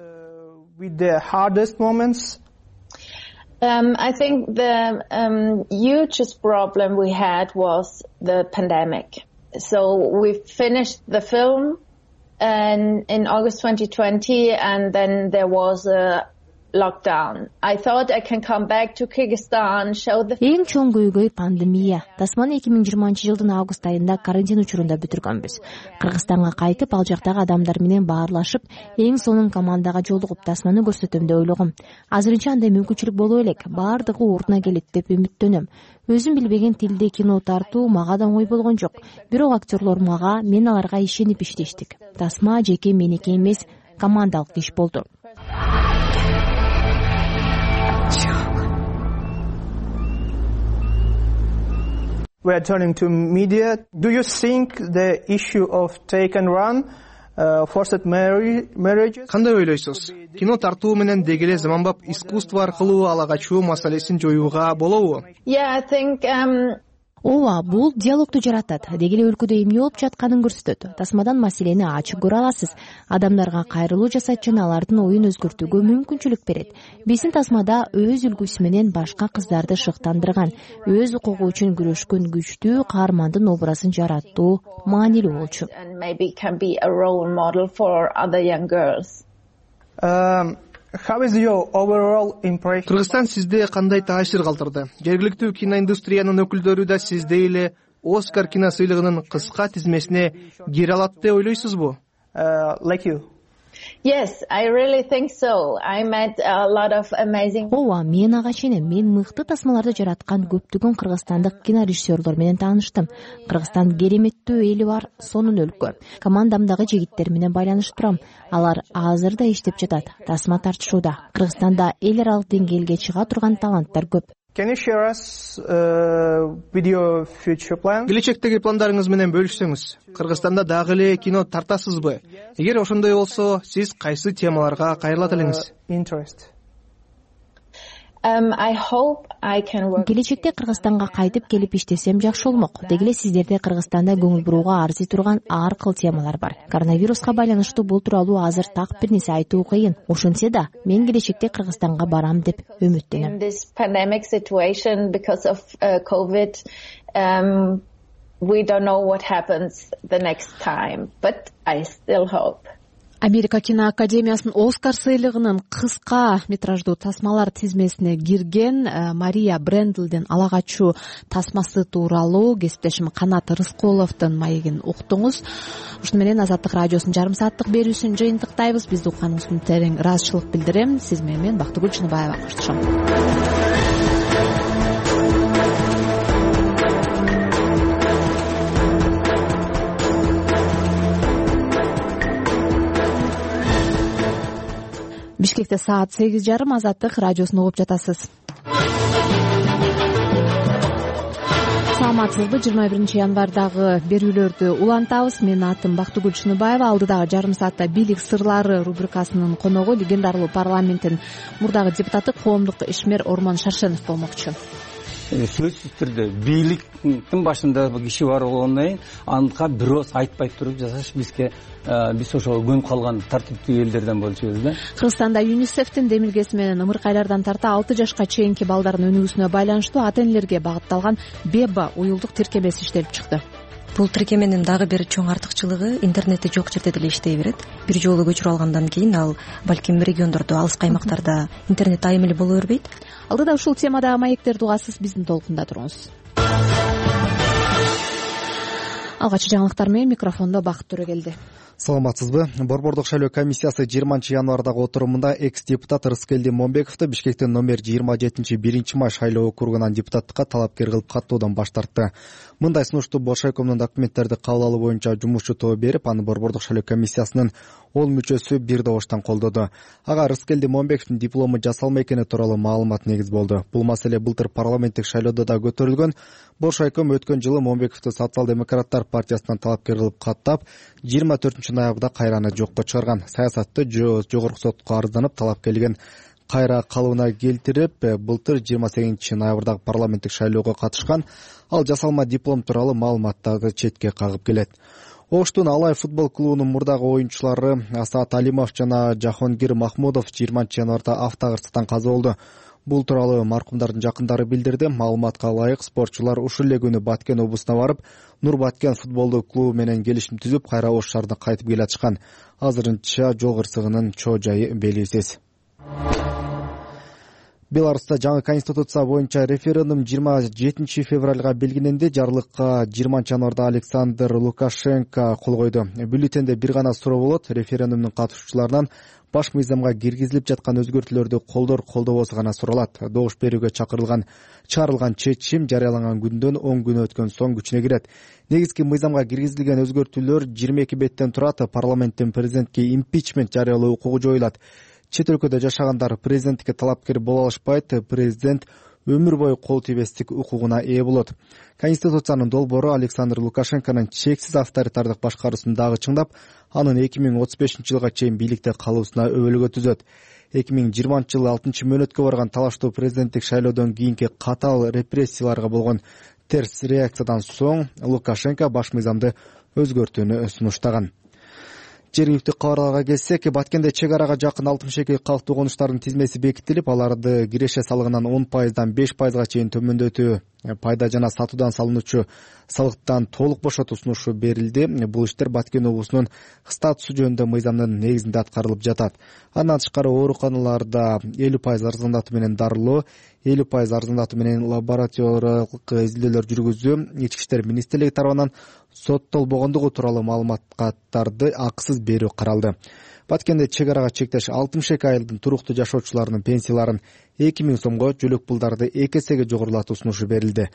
With the hardest moments? Um, I think the um, hugest problem we had was the pandemic. So we finished the film and in August twenty twenty, and then there was a lockdown. I thought I can come back to Kyrgyzstan, show the... Эң чоң көйгөй пандемия. Тасманы эки миң жыйырманчы жылдын август айында карантин учурунда бүтүргөнбүз. Кыргызстанга кайтып, ал жактагы адамдар менен баарлашып, эң сонун командага жолугуп тасманы көрсөтөм деп ойлогом. Азырынча андай мүмкүнчүлүк боло элек. Баардыгы ордуна келет деп үмүттөнөм. Өзүм билбеген тилде кино тартуу мага да оңой болгон жок. Бирок актерлор мага, мен аларга ишенип иштештик. Тасма жеке меники эмес, командалык иш болду. We are turning to media. Do you think the issue of take and run, uh, forced marriage? Кандай ойлойсуз? Кино тартуу менен дегеле заманбап искусство аркылуу ала качуу маселесин жоюуга болобу? Yeah, I think um Ооба, бул диалогду жаратат. Дегеле өлкөдө эмне болуп жатканын көрсөтөт. Тасмадан маселени ачык көрө аласыз. Адамдарга кайрылуу жасайт жана алардын оюн өзгөртүүгө мүмкүнчүлүк берет. Биздин тасмада өз үлгүсү менен башка кыздарды шыктандырган, өз укугу үчүн күрөшкөн күчтүү каармандын образын жараттуу маанилүү болчу. And maybe can be a role model for other young girls. Um How is your overall impression? Кыргызстан сизде кандай таасир калтырды? Жергиликтүү киноиндустриянын өкүлдөрү да сиздей эле Оскар кино сыйлыгынын кыска тизмесине кире алат деп ойлойсузбу? Like you. Yes, I really think so. I met a lot of amazing... Ооба, мен ага ишенем. Мен мыкты тасмаларды жараткан көптөгөн кыргызстандык кинорежиссерлор менен тааныштым. Кыргызстан кереметтүү эли бар, сонун өлкө. Командамдагы жигиттер менен байланышып турам. Алар азыр да иштеп жатат. Тасма тартышууда. Кыргызстанда эл аралык деңгээлге чыга турган таланттар көп. Can you share us uh, with your future plans? Келечектеги пландарыңыз менен бөлүшсөңүз. Кыргызстанда дагы эле кино тартасызбы? Эгер ошондой болсо, сиз кайсы темаларга кайрылат элеңиз? Interest. Um, I hope I can work. Келечекте Кыргызстанга кайтып келип иштесем жакшы болмок. Дегеле сиздерде Кыргызстанда көңүл бурууга арзый турган ар кыл темалар бар. Коронавируска байланыштуу бул тууралуу азыр так бир нерсе айтуу кыйын. Ошентсе да, мен келечекте Кыргызстанга барам деп үмүттөнөм. In this pandemic situation because of uh, COVID, um, we don't know what happens the next time, but I still hope. Америка киноакадемиясынын Оскар сыйлыгынын кыска метраждуу тасмалар тизмесине кирген Мария Брендлдин ала качуу тасмасы тууралуу кесиптешим Канат Рыскуловдун маегин уктуңуз. Ушуну менен Азаттык радиосунун жарым сааттык берүүсүн жыйынтыктайбыз. Бизди укканыңыз үчүн терең ыраазычылык билдирем. Сиз менен Бактыгүл Чыныбаева коштошом. Бишкекте саат сегиз жарым. Азаттык радиосун угуп жатасыз. Саламатсызбы? жыйырма биринчи январдагы берүүлөрдү улантабыз. Менин атым Бактыгүл Чыныбаева. Алдыдагы жарым саатта бийлик сырлары рубрикасынын коногу легендарлуу парламенттин мурдагы депутаты коомдук ишмер Ормон Шаршенов болмокчу. Сөзсүз түрдө бийликтин башында киши бар болгондон кийин анка бирөөс айтпай туруп жасаш бизге биз ошого көнүп калган тартиптүү элдерден болчубуз да. Кыргызстанда ЮНИСЕФтин демилгеси менен ымыркайлардан тарта алты жашка чейинки балдардын өнүгүүсүнө байланыштуу ата энелерге багытталган БЕБА уюлдук тиркемеси иштелип чыкты. Бул тиркеменин дагы бир чоң артыкчылыгы интернетти жок жерде деле иштей берет. Бир жолу көчүрүп алгандан кийин ал балким региондордо, алыскы аймактарда интернет айым эле боло бербейт. Алдыда ушул темадагы маектерди угасыз, биздин толкунда туруңуз. Алгачкы жаңылыктар менен микрофондо Бакыт Төрөгелди. Саламатсызбы? Борбордук шайлоо комиссиясы жыйырманчы январдагы отурумунда экс-депутат Рыскелди Момбековду Бишкектин номер жыйырма жетинчи биринчи май шайлоо округунан депутаттыкка талапкер кылып каттоодан баш тартты. Мындай сунушту Боршайкомдун документтерди кабыл алуу боюнча жумушчу тобу берип, аны Борбордук шайлоо комиссиясынын он мүчөсү бир добуштан колдоду. Ага Рыскелди Момбековдун диплому жасалма экени тууралуу маалымат негиз болду. Бул маселе былтыр парламенттик шайлоодо да көтөрүлгөн. Боршайком өткөн жылы Момбековду социал-демократтар партиясынан талапкер кылып каттап, жыйырма төртүнчү ноябрда кайраны жокко чыгарган. Саясатты жогорку сотко арызданып талапкерлигин кайра калыбына келтирип, былтыр жыйырма сегизинчи ноябрдагы парламенттик шайлоого катышкан. Ал жасалма диплом тууралуу маалыматтарды четке кагып келет. Оштун Алай футбол клубунун мурдагы оюнчулары Асат Алимов жана Жахонгир Махмудов жыйырманчы январда автокырсыктан каза болду. Бул тууралуу маркумдардын жакындары билдирди. Маалыматка ылайык, спортчулар ушул эле күнү Баткен облусуна барып, Нур Баткен футболдук клубу менен келишим түзүп, кайра Ош шаарына кайтып келатышкан. Азырынча жол кырсыгынын чоо жайы белгисиз. Беларуста жаңы конституция боюнча референдум жыйырма жетинчи февралга белгиленди. Жарлыкка жыйырманчы январда Александр Лукашенко кол койду. Бюллетенде бир гана суроо болот. Референдумдун катышуучуларынан баш мыйзамга киргизилип жаткан өзгөртүүлөрдү колдор колдобосу гана суралат. Добуш берүүгө чакырылган чыгарылган чечим жарыяланган күндөн он күн өткөн соң күчүнө кирет. Негизги мыйзамга киргизилген өзгөртүүлөр жыйырма эки беттен турат. Парламенттин президентке импичмент жарыялоо укугу жоюлат. Чет өлкөдө жашагандар президенттикке талапкер боло алышпайт. Президент өмүр бою кол тийбестик укугуна ээ болот. Конституциянын долбоору Александр Лукашенконун чексиз авторитардык башкаруусун дагы чыңдап, анын эки миң отуз бешинчи жылга чейин бийликте калуусуна өбөлгө түзөт. эки миң жыйырманчы жылы алтынчы мөөнөткө барган талаштуу президенттик шайлоодон кийинки катаал репрессияларга болгон терс реакциядан соң Лукашенко баш мыйзамды өзгөртүүнү сунуштаган. Жергиликтүү кабарларга келсек, Баткенде чек арага жакын алтымыш эки калктуу конуштардын тизмеси бекитилип, аларды киреше салыгынан он пайыздан беш пайызга чейин төмөндөтүү, пайда жана сатуудан салынуучу салыктан толук бошотуу сунушу берилди. Бул иштер Баткен облусунун статусу жөнүндө мыйзамдын негизинде аткарылып жатат. Андан тышкары ооруканаларда элүү пайыз арзандатуу менен дарылоо, элүү пайыз арзандатуу менен лабораториялык изилдөөлөр жүргүзүү, Ички иштер министрлиги тарабынан соттолбогондугу тууралуу маалыматтарды акысыз берүү каралды. Баткенде чек арага чектеш алтымыш эки айылдын туруктуу жашоочуларынын пенсияларын эки миң сомго, жөлөк пулдарды эки эсеге жогорулатуу сунушу берилди.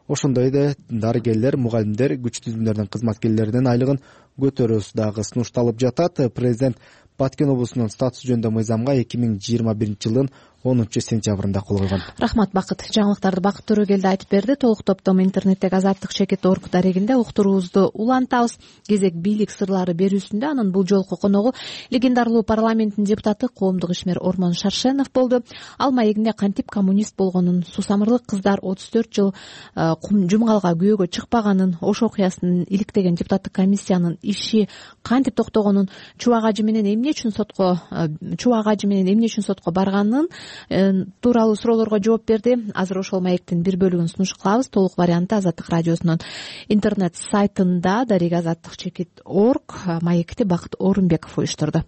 Ошондой эле дарыгерлер, мугалимдер, күч түзүмдөрдүн кызматкерлеринин айлыгын көтөрүүсү дагы сунушталып жатат. Президент Баткен облусунун статусу жөнүндө мыйзамга эки миң жыйырма биринчи жылдын онунчу сентябрында кол койгон. Рахмат Бакыт. Жаңылыктарды Бакыт Төрөгелди айтып берди. Толук топтом интернеттеги азаттык чекит точка орг дарегинде уктуруубузду улантабыз. Кезек бийлик сырлары берүүсүндө анын бул жолку коногу легендарлуу парламенттин депутаты коомдук ишмер Ормон Шаршенов болду. Ал маегинде кантип коммунист болгонун, сусамырлык кыздар отуз төрт жыл жумгалга күйөөгө чыкпаганын, Ош окуясын иликтеген депутаттык комиссиянын иши кантип токтогонун, Чубак ажы менен эмне үчүн сотко Чубак ажы менен эмне үчүн сотко барганын тууралуу суроолорго жооп берди. Азыр ошол маектин бир бөлүгүн сунуш кылабыз. Толук варианты Азаттык радиосунун интернет сайтында дареги азаттык чекит точка орг маекти Бакыт Орунбеков уюштурду.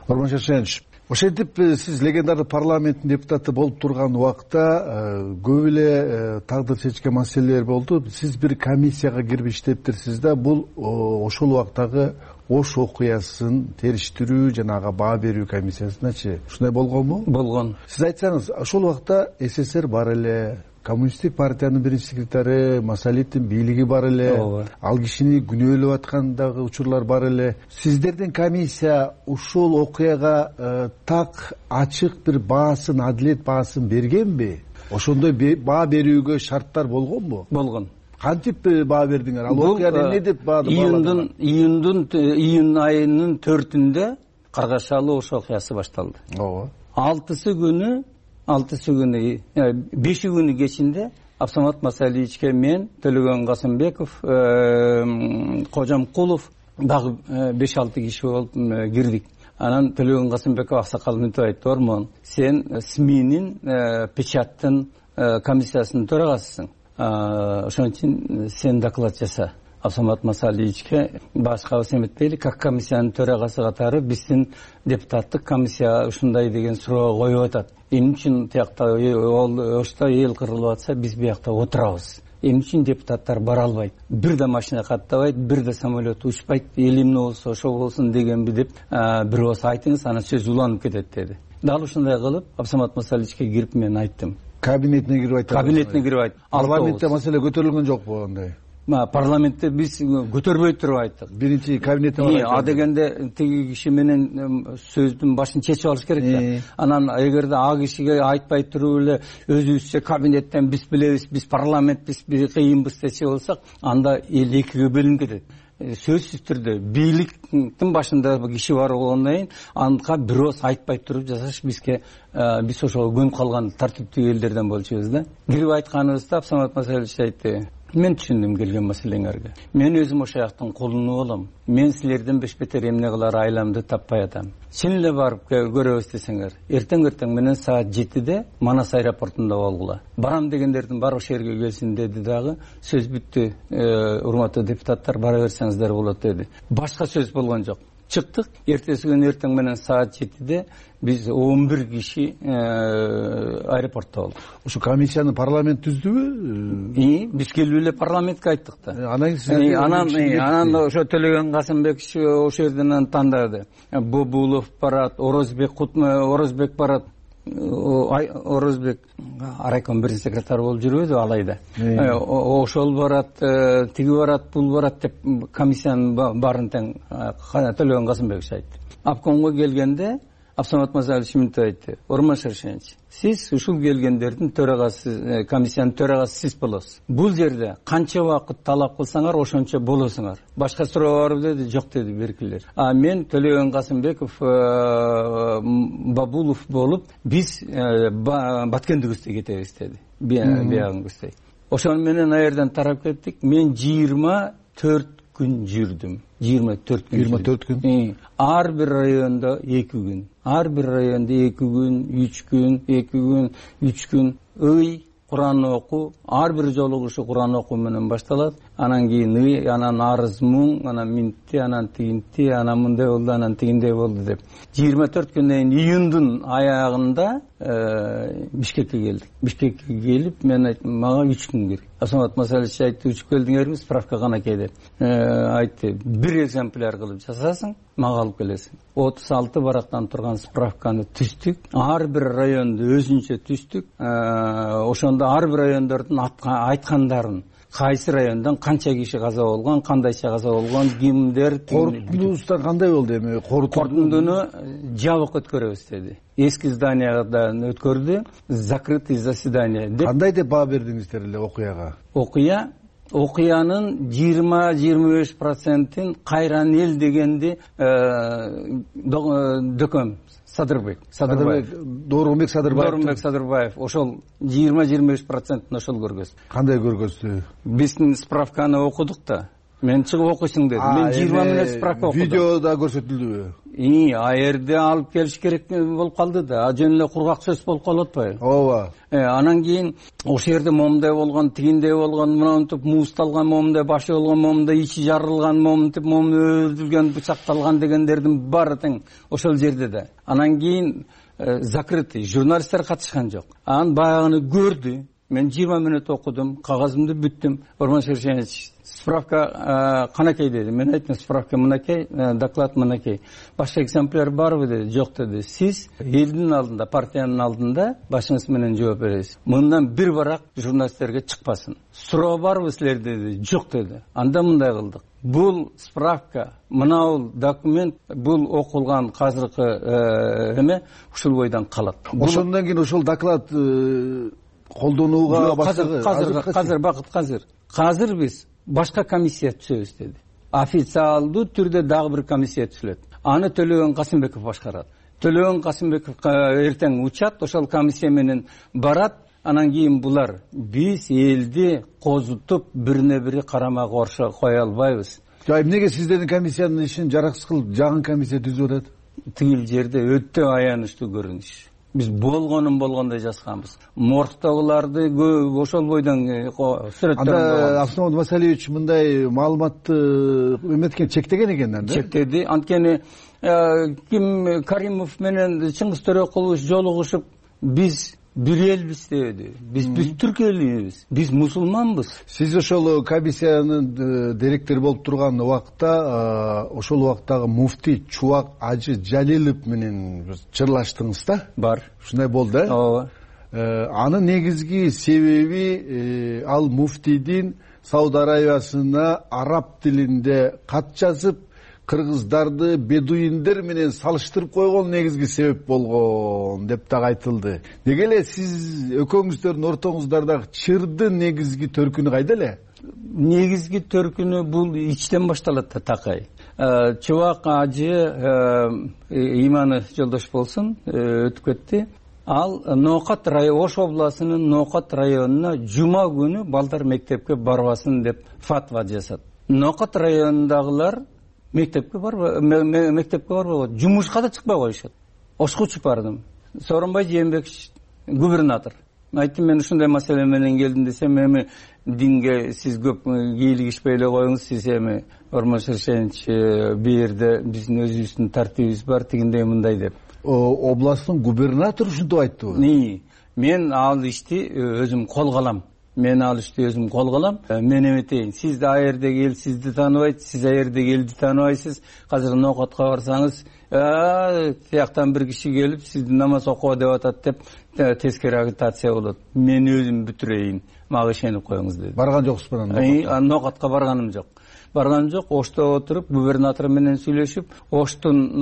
Орман Шаршенович, ошентип сиз легендарный парламенттин депутаты болуп турган убакта көп эле тагдыр чечкен маселелер болду. Сиз бир комиссияга кирип иштептирсиз да, бул ошол убактагы Ош окуясын териштирүү жана ага баа берүү комиссиясыначы ушундай болгонбу? Болгон. Сиз айтсаңыз, ошол убакта СССР бар эле, коммунисттик партиянын биринчи секретары Масалиевдин бийлиги бар эле, ал кишини күнөөлөп аткан дагы учурлар бар эле. Сиздердин комиссия ушул окуяга так ачык бир баасын, адилет баасын бергенби? Ошондой баа берүүгө шарттар болгонбу? Болгон. Кантип баа бердиңер? Ал окуяда эмне деп баады? Июндун июндун июнь айынын төртүндө Каргашалы Ош окуясы башталды. Ооба. алтысы күнү алтысы күнү беши күнү кечинде Абсамат Масалиевичке мен, Төлөгөн Касымбеков, Кожамкулов дагы беш алты киши болуп кирдик. Анан Төлөгөн Касымбеков аксакал мынтип айтты: Ормон, сен СМИнин печаттын комиссиясынын төрагасысың. Ошон үчүн сен доклад жаса. Абсамат Масалиевичке башкабыз эметпейли, как комиссиянын төрагасы катары биздин депутаттык комиссия ушундай деген суроо коюп атат. Эмне үчүн тиякта Ошто эл кырылып атса, биз биякта отурабыз? Эмне үчүн депутаттар бара албайт? Бир да машина каттабайт, бир да самолет учпайт, эл эмне болсо ошо болсун дегенби деп бирөөсү айтыңыз, анан сөз уланып кетет деди. Дал ушундай кылып Абсамат Масалиевичке кирип мен айттым. Кабинетине кирип айттым. Кабинетине кирип айттым. Парламентте маселе көтөрүлгөн жокпу андай? Парламентте биз көтөрбөй туруп айттык. Биринчи кабинетте бар. А дегенде тиги киши менен сөздүн башын чечип алыш керек да. Анан эгерде а кишиге айтпай туруп эле өзүбүзчө кабинеттен биз билебиз, биз парламентпиз, биз кыйынбыз десе болсак, анда эл экиге бөлүнүп кетет. Сөзсүз түрдө бийликтин башында киши бар болгондон кийин анга бирөөс айтпай туруп жасаш бизге, биз ошого көнүп калган тартиптүү элдерден болчубуз да. Кирип айтканыбызда Абсамат Масалиевич айтты: Мен түшүндүм келген маселеңерге. Мен өзүм ошо жактын кулуну болом. Мен силерден бешбетер эмне кылар айламды таппай атам. Чын эле барып көрөбүз десеңер, эртең эртең менен саат жетиде Манас аэропортунда болгула. Барам дегендердин баары ошол жерге келсин деди дагы. Сөз бүттү, урматтуу депутаттар, бара берсеңиздер болот деди. Башка сөз болгон жок. Чыктык. Эртеси күнү эртең менен саат жетиде биз он бир киши аэропортто болдук. Ушу комиссияны парламент түздүбү? И, биз келип эле парламентке айттык да. Анан сиз анан анан ошо Төлөгөн Касымбек ошол жерден тандады. Бобулов барат, Орозбек Орозбек барат. Орозбек райком биринчи секретары болуп жүрбөдү алайда. Ошол барат, тиги барат, бул барат деп комиссиянын баарын тең Төлөгөн Касымбек айтты. Обкомго келгенде Абсамат Масалиевич мынтип айтты: Орман Шаршенович, сиз ушул келгендердин төрагасы, комиссиянын төрагасы сиз болосуз. Бул жерде канча убакыт талап кылсаңар, ошончо болосуңар. Башка суроо барбы деди? Жок деди беркилер. А мен Төлөгөн Касымбеков, Бабулов болуп, биз Баткендигибизде кетебиз деди. Биягыңыздай. Ошону менен ал жерден тарап кеттик. Мен жыйырма төрт күн жүрдүм. жыйырма төрт күн. жыйырма төрт күн. Ар бир райондо эки күн. Ар бир райондо эки күн, үч күн, эки күн, үч күн. Ый, Куран окуу, ар бир жолугушу Куран окуу менен башталат. Анан кийин ый, анан арыз муң, анан минти, анан тигинти, анан мындай болду, анан тигиндей болду деп. жыйырма төрт күндөн июндун аягында Бишкекке келдик. Бишкекке келип, мен айттым, мага үч күн керек. Абсамат Масалиевич айтты: учуп келдиңерби, справка канакей деп. Айтты: бир экземпляр кылып жасасаң, мага алып келесиң. отуз алты барактан турган справканы түздүк. Ар бир районду өзүнчө түздүк. Ошондо ар бир райондордун айткандарын, кайсы райондон канча киши каза болгон, кандайча каза болгон, кимдер, корутундусуна кандай болду эми? Корутундуну жабык өткөрөбүз деди. Эски зданиядан өткөрдү, закрытый заседание деп. Кандай деп баа бердиңиздер эле окуяга? Окуя окуянын жыйырма жыйырма беш процентин Кайран эл дегенди дөкөм Садырбек, Садырбаев, Доорунбек Садырбаев. Доорунбек Садырбаев ошол жыйырма жыйырма беш процентин ошол көргөздү. Кандай көргөздү? Биздин справканы окудук да. Мен чыгып окуйсуң деди. Мен жыйырма мүнөт справка окудум. Видеода көрсөтүлдүбү? а жерде алып келиш керек болуп калды да, а жөн эле кургак сөз болуп калып атпайбы? ооба. Анан кийин ошол жерде момундай болгон, тигиндей болгон, мынантип муусталган, момундай башы болгон, момундай ичи жарылган, момунтип момун өлдүргөн, бычакталган дегендердин баары тең ошол жерде да. Анан кийин закрытый, журналисттер катышкан жок. Анан баягыны көрдү. Мен жыйырма мүнөт окудум, кагазымды бүттүм. Орман Шершенович, справка канакей деди. Мен айттым, справка мынакей, доклад мынакей. Башка экземпляр барбы деди. Жок деди. Сиз элдин алдында, партиянын алдында башыңыз менен жооп бересиз. Мындан бир барак журналисттерге чыкпасын. Суроо барбы силерде деди. Жок деди. Анда мындай кылдык. Бул справка, мынау документ, бул окулган азыркы эме ушул бойдон калат. Ошондон кийин ошол доклад колдонууга баштады. Азыр азыр бакыт азыр. Азыр биз башка комиссия түзөбүз деди. Официалдуу түрдө дагы бир комиссия түзүлөт. Аны Төлөгөн Касымбеков башкарат. Төлөгөн Касымбеков эртең учат, ошол комиссия менен барат. Анан кийин булар биз элди козутуп бирине бири карама каршы кое албайбыз. Эмнеге сиздердин комиссиянын ишин жараксыз кылып жагын комиссия түзүп атат? Тигил жерде өтө аянычтуу көрүнүш. Биз болгонун болгондой жазганбыз. Моргтогуларды ошол бойдон сүрөттөрүн. Анда Асмамат Масалиевич мындай маалыматты эметкен, чектеген экен да? Чектеди. Анткени Ким Каримов менен Чыңгыз Төрөкулович жолугушуп, биз бир элбиз деди. Биз биз түрк элибиз. Биз мусулманбыз. Сиз ошол комиссиянын директору болуп турган убакта, ошол убактагы муфтий Чубак Ажы Жалилов менен чырлаштыңыз да? Бар. Ушундай болду, э? Ооба. Анын негизги себеби ал муфтийдин Сауд Арабиясына араб тилинде кат жазып, кыргыздарды бедуиндер менен салыштырып койгон негизги себеп болгон деп дагы айтылды. Неге эле сиз экөөңүздөрдүн ортоңуздардагы чырдын негизги төркүнү кайда эле? Негизги төркүнү бул ичтен башталат да, такай. Чубак Ажы иманы жолдош болсун, өтүп кетти. Ал Ноокат району, Ош областынын Ноокат районуна жума күнү балдар мектепке барбасын деп фатва жасат. Ноокат районундагылар мектепке барбы, мектепке барбайбы, жумушка да чыкпай коюшат. Ошко учуп бардым. Сооронбай Жээнбекович губернатор. Айттым, мен ушундай маселе менен келдим десем, эми динге сиз көп кийлигишпей эле коюңуз, сиз эми Орман Шершенович бу жерде биздин өзүбүздүн тартибибиз бар, тигиндей мындай деп. Областтын губернатору ушинтип айттыбы? Мен ал ишти өзүм колго алам. Мен ал ишти өзүм колго алам. Мен эметейин, сиз да аердеги эл сизди тааныбайт, сиз аердеги элди тааныбайсыз. Азыр Ноокатка барсаңыз, тияктан бир киши келип сизди намаз окуба деп атат деп тескери агитация болот. Мен өзүм бүтүрөйүн, мага ишенип коюңуз деди. Барган жоксузбу анан? Ноокатка барганым жок. Барган жок. Ошто отуруп губернатор менен сүйлөшүп, Оштун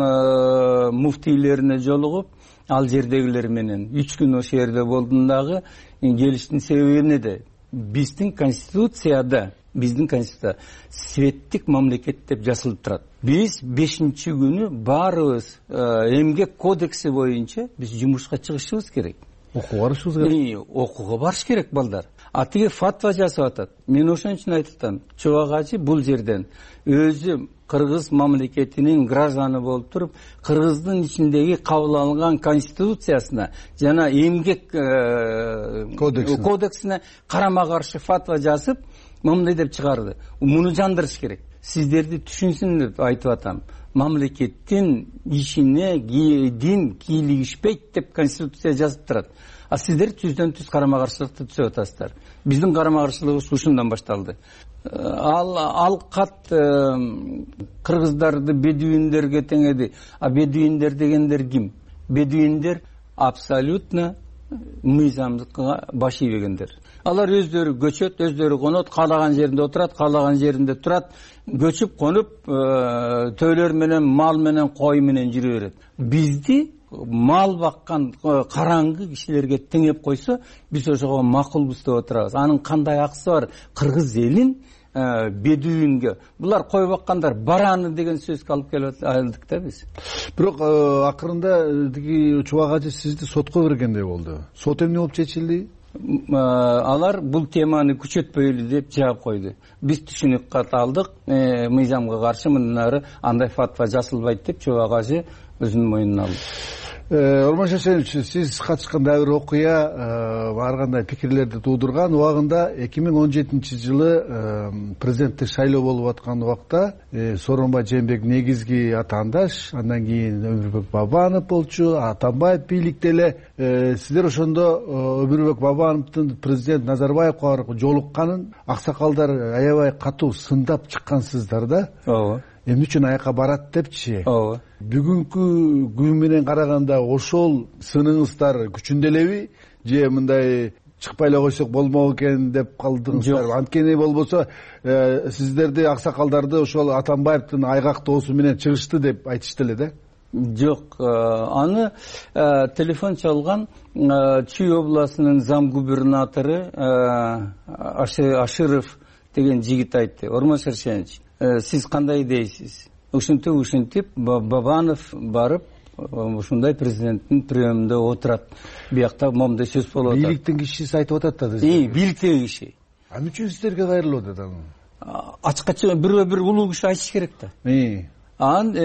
муфтийлерине жолугуп, ал жердегилер менен үч күн ошол жерде болдум дагы. Келиштин себеби эмнеде? Биздин конституцияда, биздин конституцияда светтик мамлекет деп жазылып турат. Биз бешинчи күнү баарыбыз эмгек кодекси боюнча биз жумушка чыгышыбыз керек. Окууга барышыбыз керек. Окууга барыш керек балдар. А тиги фатва жасап атат. Мен ошон үчүн айтып атам, Чубак Ажы бул жерден өзү кыргыз мамлекетинин гражданы болуп туруп, кыргыздын ичиндеги кабыл алынган конституциясына жана эмгек кодексине карама каршы фатва жазып, мындай деп чыгарды. Муну жандырыш керек. Сиздерди түшүнсүн деп айтып атам. Мамлекеттин ишине дин кийлигишпейт деп конституция жазып турат. А сиздер түздөн түз карама каршылыкты түзүп атасыздар. Биздин карама каршылыгыбыз ушундан башталды. Ал ал кат кыргыздарды бедуиндерге теңеди. А бедуиндер дегендер ким? Бедуиндер абсолютно мыйзамдыкка баш ийбегендер. Алар өздөрү көчөт, өздөрү конот, каалаган жеринде отурат, каалаган жеринде турат, көчүп конуп, төөлөр менен, мал менен, кой менен жүрө берет. Бизди мал баккан караңгы кишилерге теңеп койсо, биз ошого макулбуз деп отурабыз. Анын кандай акысы бар? Кыргыз элин бедуинге, булар кой баккандар бараны деген сөзгө алып келип алдык да биз. Бирок акырында тиги Чубак Ажы сизди сотко бергендей болду. Сот эмне болуп чечилди? алар бул теманы күчөтпөйлү деп жаап койду. Биз түшүнүк кат алдык, мыйзамга каршы мындан ары андай фатва жасалбайт деп Чоба кажы өзүнүн мойнуна алды. Орман Шашенович, сиз катышкан дагы бир окуя ар кандай пикирлерди туудурган. Убагында эки миң он жетинчи жылы президенттик шайлоо болуп аткан убакта Сооронбай Жээнбеков негизги атаандаш, андан кийин Өмүрбек Бабанов болчу, Атамбаев бийликте эле. Сиздер ошондо Өмүрбек Бабановдун президент Назарбаевга барып жолукканын аксакалдар аябай катуу сындап чыккансыздар да. Ооба. Эмне үчүн аяка барат депчи. Ооба. Бүгүнкү күн менен караганда ошол сыныңыздар күчүндө элеби же мындай чыкпай эле койсок болмок экен деп калдыңыздар? Анткени болбосо сиздерди аксакалдарды ошол Атамбаевдин айгактоосу менен чыгышты деп айтышты эле да. Жок, аны телефон чалган Чүй областынын зам губернатору Аширов деген жигит айтты. Орман Шаршенович, сиз кандай дейсиз? Ушинтип ушинтип Бабанов барып ушундай президенттин приемунда отурат. Биякта момундай сөз болуп атат. Бийликтин кишиси айтып атат да. И, бийликтеги киши. А эмне үчүн сиздерге кайрылып атат аны? Ачыкча бирөө бир улуу киши айтыш керек да. Анан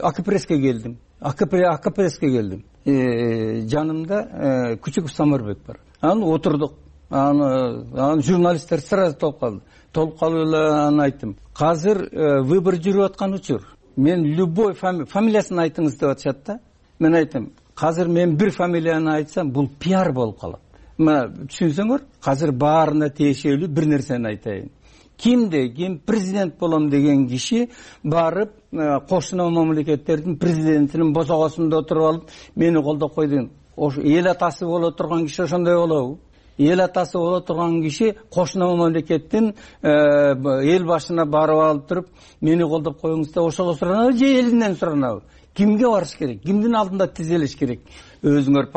АКПРСке келдим. АКПРСке келдим. Жанымда Күчүков Самарбек бар. Анан отурдук. Анан журналисттер сразу толуп калды. Толуп калып эле аны айттым. Азыр выбор жүрүп аткан учур. Мен любой фамилиясын айтыңыз деп атышат да. Мен айттым, азыр мен бир фамилияны айтсам, бул пиар болуп калат. Мына түшүнсөңөр, азыр баарына тиешелүү бир нерсени айтайын. Кимде ким президент болом деген киши барып кошуна мамлекеттердин президентинин босогосунда отуруп алып, мени колдоп койду. Эл атасы боло турган киши ошондой болобу? Эл атасы боло турган киши кошуна мамлекеттин эл башына барып алып туруп, мени колдоп коюңуз деп ошого суранабы же элинен суранабы? Кимге барыш керек? Кимдин алдында тизелиш керек? Өзүңөр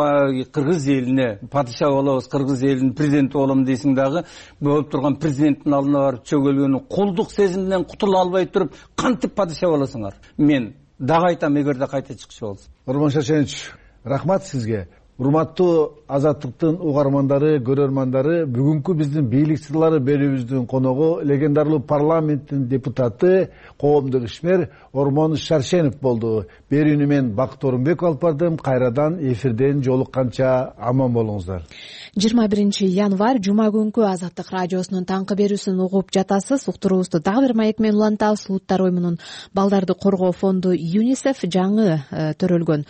кыргыз элине падыша болобуз, кыргыз элинин президенти болом дейсиң дагы, болуп турган президенттин алдына барып чөгөлгөнү колдук сезимден кутула албай туруп, кантип падыша болосуңар? Мен дагы айтам, эгерде кайта чыкчы болсо. Орман Шашенович, рахмат сизге. Урматтуу Азаттыктын угармандары, көрөрмандары, бүгүнкү биздин бийлик сырлары берүүбүздүн коногу легендарлуу парламенттин депутаты, коомдук ишмер Орман Шаршенов болду. Берүүнү мен Бакыт Орунбеков алып бардым. Кайрадан эфирден жолукканча аман болуңуздар. жыйырма биринчи январь жума күнкү Азаттык радиосунун таңкы берүүсүн угуп жатасыз. Уктуруубузду дагы бир маек менен улантабыз. Улуттар оюмунун балдарды коргоо фонду ЮНИСЕФ жаңы төрөлгөн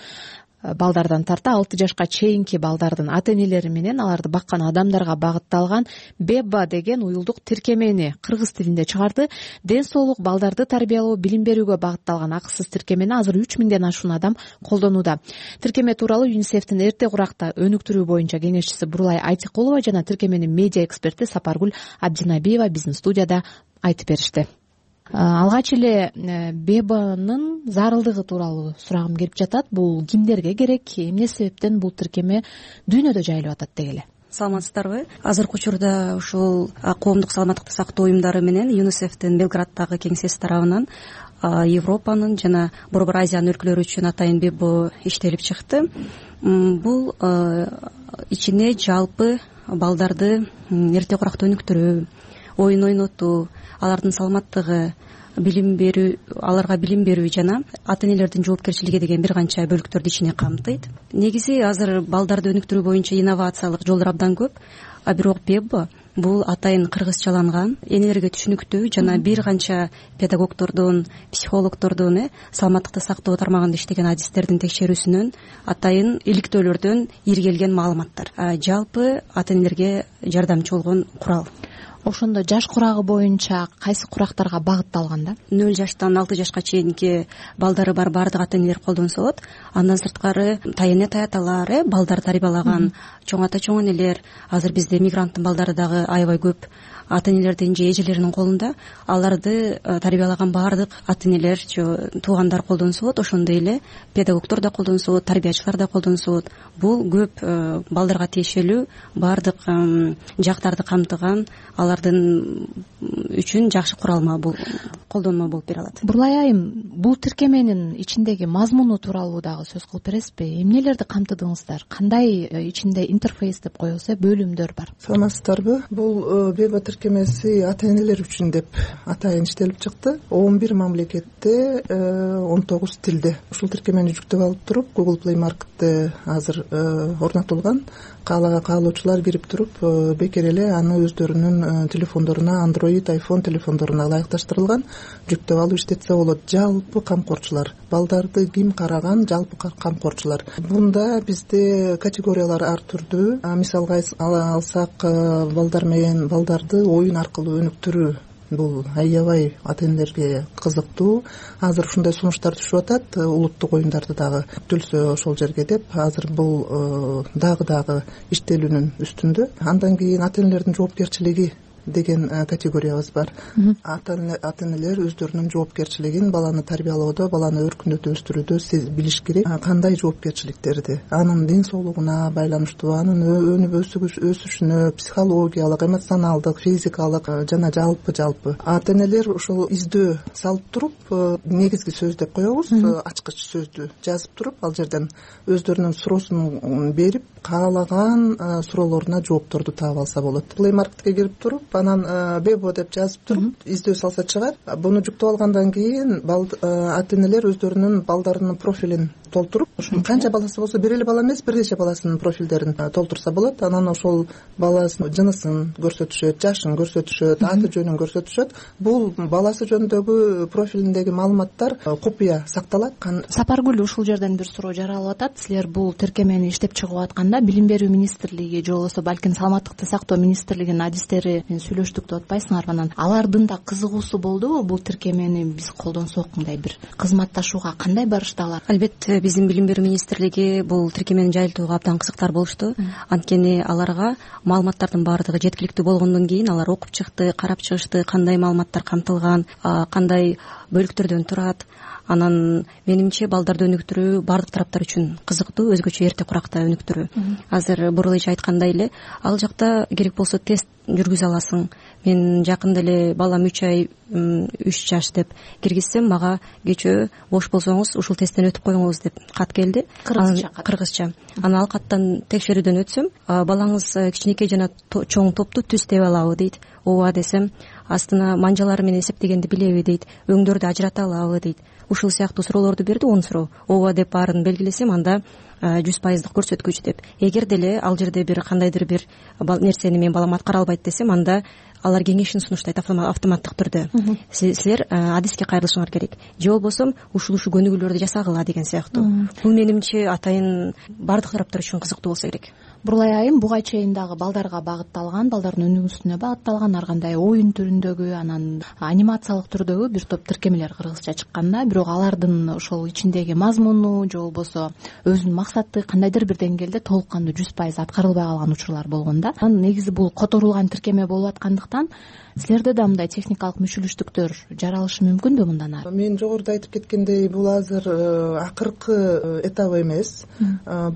балдардан тарта алты жашка чейинки балдардын ата-энелери менен аларды баккан адамдарга багытталган Беба деген уюлдук тиркемени кыргыз тилинде чыгарды. Ден соолук, балдарды тарбиялоо, билим берүүгө багытталган акысыз тиркемени азыр үч миңден ашуун адам колдонууда. Тиркеме тууралуу ЮНИСЕФтин эрте куракта өнүктүрүү боюнча кеңешчиси Бурулай Айтикулова жана тиркеменин медиа эксперти Сапаргүл Абдинабиева биздин студияда айтып беришти. Алгач эле Бебанын зарылдыгы тууралуу сурагым келип жатат. Бул кимдерге керек, эмне себептен бул тиркеме дүйнөдө жайылып атат дегиле? Саламатсыздарбы? Азыркы учурда ушул коомдук саламаттыкты сактоо уюмдары менен ЮНИСЕФтин Белграддагы кеңсеси тарабынан Европанын жана Борбор Азиянын өлкөлөрү үчүн атайын Бебо иштелип чыкты. Бул ичине жалпы балдарды эрте куракта өнүктүрүү, оюн ойнотуу, алардын саламаттыгы, билим берүү, аларга билим берүү жана ата-энелердин жоопкерчилиги деген бир канча бөлүктөрдү ичине камтыйт. Негизи азыр балдарды өнүктүрүү боюнча инновациялык жолдор абдан көп, а бирок Бебо бул атайын кыргызчаланган, энелерге түшүнүктүү жана бир канча педагогдордун, психологдордун саламаттыкты сактоо тармагында иштеген адистердин текшерүүсүнөн атайын иликтөөлөрдөн иргелген маалыматтар. Жалпы ата-энелерге жардамчы болгон курал. Ошондо жаш курагы боюнча кайсы курактарга багытталган да? нөл жаштан алты жашка чейинки балдары бар баардык ата-энелер колдонсо болот. Андан сырткары тайэне таяталар, э балдар тарбиялаган чоң ата чоң энелер, азыр бизде мигранттын балдары дагы аябай көп ата-энелердин же эжелеринин колунда. Аларды тарбиялаган баардык ата-энелер, туугандар колдонсо болот. Ошондой эле педагогдор да колдонсо болот, тарбиячылар да колдонсо болот. Бул көп балдарга тиешелүү баардык жактарды камтыган, алар алардын үчүн жакшы куралма, бул колдонмо болуп бере алат. Бурлай айым, бул тиркеменин ичиндеги мазмуну тууралуу дагы сөз кылып бересизби? Эмнелерди камтыдыңыздар? Кандай ичинде интерфейс деп коебуз, бөлүмдөр бар? Саламатсыздарбы? Бул Беба тиркемеси ата энелер үчүн деп атайын иштелип чыкты. он бир мамлекетте, он тогуз тилде. Ушул тиркемени жүктөп алып туруп, Google Play Market'те азыр орнотулган. Каалоочулар кирип туруп, бекер эле аны өздөрүнүн телефондоруна, Android, iPhone телефондоруна ылайыкташтырылган, жүктөп алып иштетсе болот. Жалпы камкорчулар, балдарды ким караган, жалпы камкорчулар. Бунда бизде категориялар ар түрдүү. Мисалга алсак, балдар менен балдарды оюн аркылуу өнүктүрүү. Бул аябай ата энелерге кызыктуу. Азыр ушундай сунуштар түшүп атат, улуттук оюндарды дагы түлсө ошол жерге деп. Азыр бул дагы дагы иштелүүнүн үстүндө. Андан кийин ата энелердин жоопкерчилиги деген категориябыз бар. Ата энелер өздөрүнүн жоопкерчилигин баланы тарбиялоодо, баланы өркүндөтүп өстүрүүдө билиш керек. Кандай жоопкерчиликтерди? Анын ден соолугуна байланыштуу, анын өнүп өсүшүнө, психологиялык, эмоционалдык, физикалык жана жалпы жалпы. Ата энелер ошол издөө салып туруп, негизги сөз деп коебуз, ачкыч сөздү жазып туруп, ал жерден өздөрүнүн суроосун берип, каалаган суроолоруна жоопторду таап алса болот. Play Market'ке кирип туруп, анан Бебо деп жазып туруп, издөө салса чыгат. Буну жүктөп алгандан кийин ата энелер өздөрүнүн балдарынын профилин толтуруп, канча баласы болсо, бир эле бала эмес, бир нече баласынын профилдерин толтурса болот. Анан ошол баласынын жынысын көрсөтүшөт, жашын көрсөтүшөт, аты жөнүн көрсөтүшөт. Бул баласы жөнүндөгү профилиндеги маалыматтар купуя сакталат. Сапаргүл, ушул жерден бир суроо жаралып атат. Силер бул тиркемени иштеп чыгып атканда Билим берүү министрлиги же болбосо балким Саламаттыкты сактоо министрлигинин адистери менен сүйлөштүк деп атпайсыңарбы? Анан алардын да кызыгуусу болдубу бул тиркемени биз колдонсок, мындай бир кызматташууга кандай барышты алар? Албетте, биздин Билим берүү министрлиги бул тиркемени жайылтууга абдан кызыктар болушту. Анткени аларга маалыматтардын баардыгы жеткиликтүү болгондон кийин алар окуп чыкты, карап чыгышты, кандай маалыматтар камтылган, кандай бөлүктөрдөн турат. Анан менимче балдарды өнүктүрүү баардык тараптар үчүн кызыктуу, өзгөчө эрте куракта өнүктүрүү. Азыр Бурула эже айткандай эле, ал жакта керек болсо тест жүргүзө аласың. Мен жакында эле балам үч ай, үч жаш деп киргизсем, мага кечөө бош болсоңуз ушул тесттен өтүп коюңуз деп кат келди. Кыргызча кат. Кыргызча. Анан ал каттан текшерүүдөн өтсөм, балаңыз кичинекей жана чоң топту түз тебе алабы дейт. Ооба десем, астына манжалары менен эсептегенди билеби дейт, өңдөрдү ажырата алабы дейт. Ушул сыяктуу суроолорду берди, он суроо. Ооба деп баарын белгилесем, анда жүз пайыздык көрсөткүч деп. Эгер деле ал жерде бир кандайдыр бир нерсени мен балам аткара албайт десем, анда алар кеңешин сунуштайт автоматтык түрдө. Силер адиске кайрылышыңар керек. Же болбосо ушул ушул көнүгүүлөрдү жасагыла деген сыяктуу. Бул менимче атайын баардык тараптар үчүн кызыктуу болсо керек. Бурлай айым, буга чейин дагы балдарга багытталган, балдардын өнүгүүсүнө багытталган ар кандай оюн түрүндөгү, анан анимациялык түрдөгү бир топ тиркемелер кыргызча чыккан да, бирок алардын ошол ичиндеги мазмуну же болбосо өзүнүн максаты кандайдыр бир деңгээлде толук кандуу жүз пайыз аткарылбай калган учурлар болгон да. Анан негизи бул которулган тиркеме болуп аткандыктан силерде да мындай техникалык мүчүлүштүктөр жаралышы мүмкүнбү мындан ары? Мен жогоруда айтып кеткендей, бул азыр акыркы этабы эмес.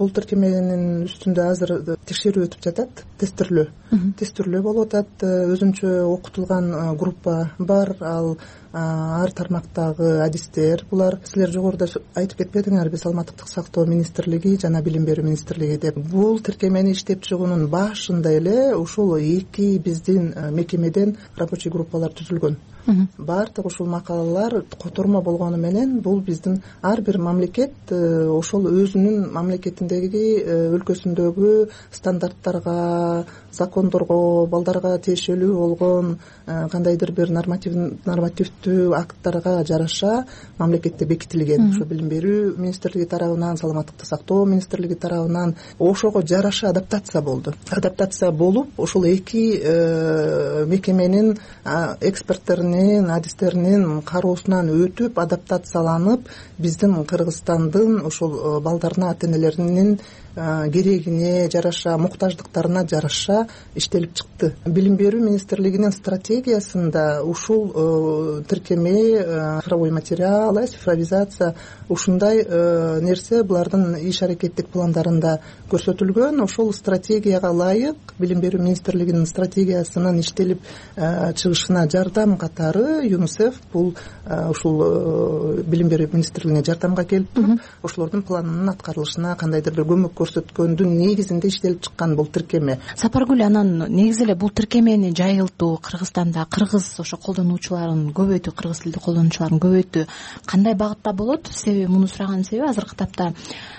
Бул тиркеменин үстүндө азыр текшерүү өтүп жатат, тестирлөө. Тестирлөө болуп атат. Өзүнчө окутулган группа бар, ал ар тармактагы адистер. Булар силер жогоруда айтып кетпедиңерби, Саламаттыкты сактоо министрлиги жана Билим берүү министрлиги деп. Бул тиркемени иштеп чыгуунун башында эле ушул эки биздин мекемеден рабочий группалар түзүлгөн. Баардык ушул макалалар котормо болгону менен бул биздин ар бир мамлекет ошол өзүнүн мамлекетиндеги өлкөсүндөгү стандарттарга, закондорго, балдарга тиешелүү болгон кандайдыр бир нормативдүү акттарга жараша мамлекетте бекитилген. Ошо Билим берүү министрлиги тарабынан, Саламаттыкты сактоо министрлиги тарабынан ошого жараша адаптация болду. Адаптация болуп, ошол эки мекеменин эксперттеринин, адистеринин кароосунан өтүп, адаптацияланып, биздин Кыргызстандын ошол балдарына, ата энелеринин керегине жараша жараша, муктаждыктарына жараша иштелип чыкты. Билим берүү министрлигинин стратегиясында ушул тиркеме, цифровой материал, цифровизация ушундай нерсе булардын иш аракеттик пландарында көрсөтүлгөн. Ошол стратегияга ылайык билим берүү министрлигинин стратегиясынын иштелип чыгышына жардам катары ЮНИСЕФ бул ушул билим берүү министрлигине жардамга келип туруп, ошолордун планынын аткарылышына кандайдыр бир көмөк көрсөткөндүн негизинде иштелип чыккан бул тиркеме. Сапаргүл, анан негизи эле бул тиркемени жайылтуу, Кыргызстанда кыргыз ошо колдонуучуларын көбөйтүү, кыргыз тилдүү колдонуучуларын көбөйтүү кандай багытта болот? Себеби муну сураганын себеби азыркы тапта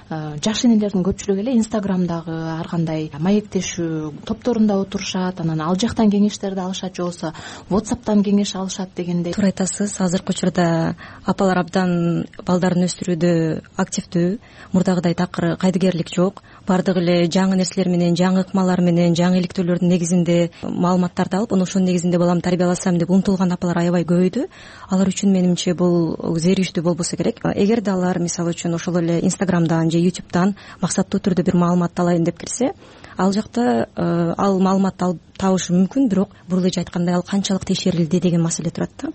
жаш энелердин көпчүлүгү эле Инстаграмдагы ар кандай маектешүү топторунда отурушат, анан ал жактан кеңештерди алышат, же болбосо WhatsApp'тан кеңеш алышат дегендей. Туура айтасыз. Азыркы учурда апалар абдан балдарын өстүрүүдө активдүү, мурдагыдай такыр кайдыгерлик жок. Бардыгы эле жаңы нерселер менен, жаңы ыкмалар менен, жаңы иликтөөлөрдүн негизинде маалыматтарды алып, ошонун негизинде баламды тарбияласам деп умтулган апалар аябай көбөйдү. Алар үчүн менимче бул зериктүү болбосо керек. Эгерде алар мисалы үчүн ошол эле Инстаграмдан же Ютубтан максаттуу түрдө бир маалыматты алайын деп кирсе, ал жакта ал маалыматты алып табышы мүмкүн, бирок бул эже айткандай ал канчалык текшерилди деген маселе турат да.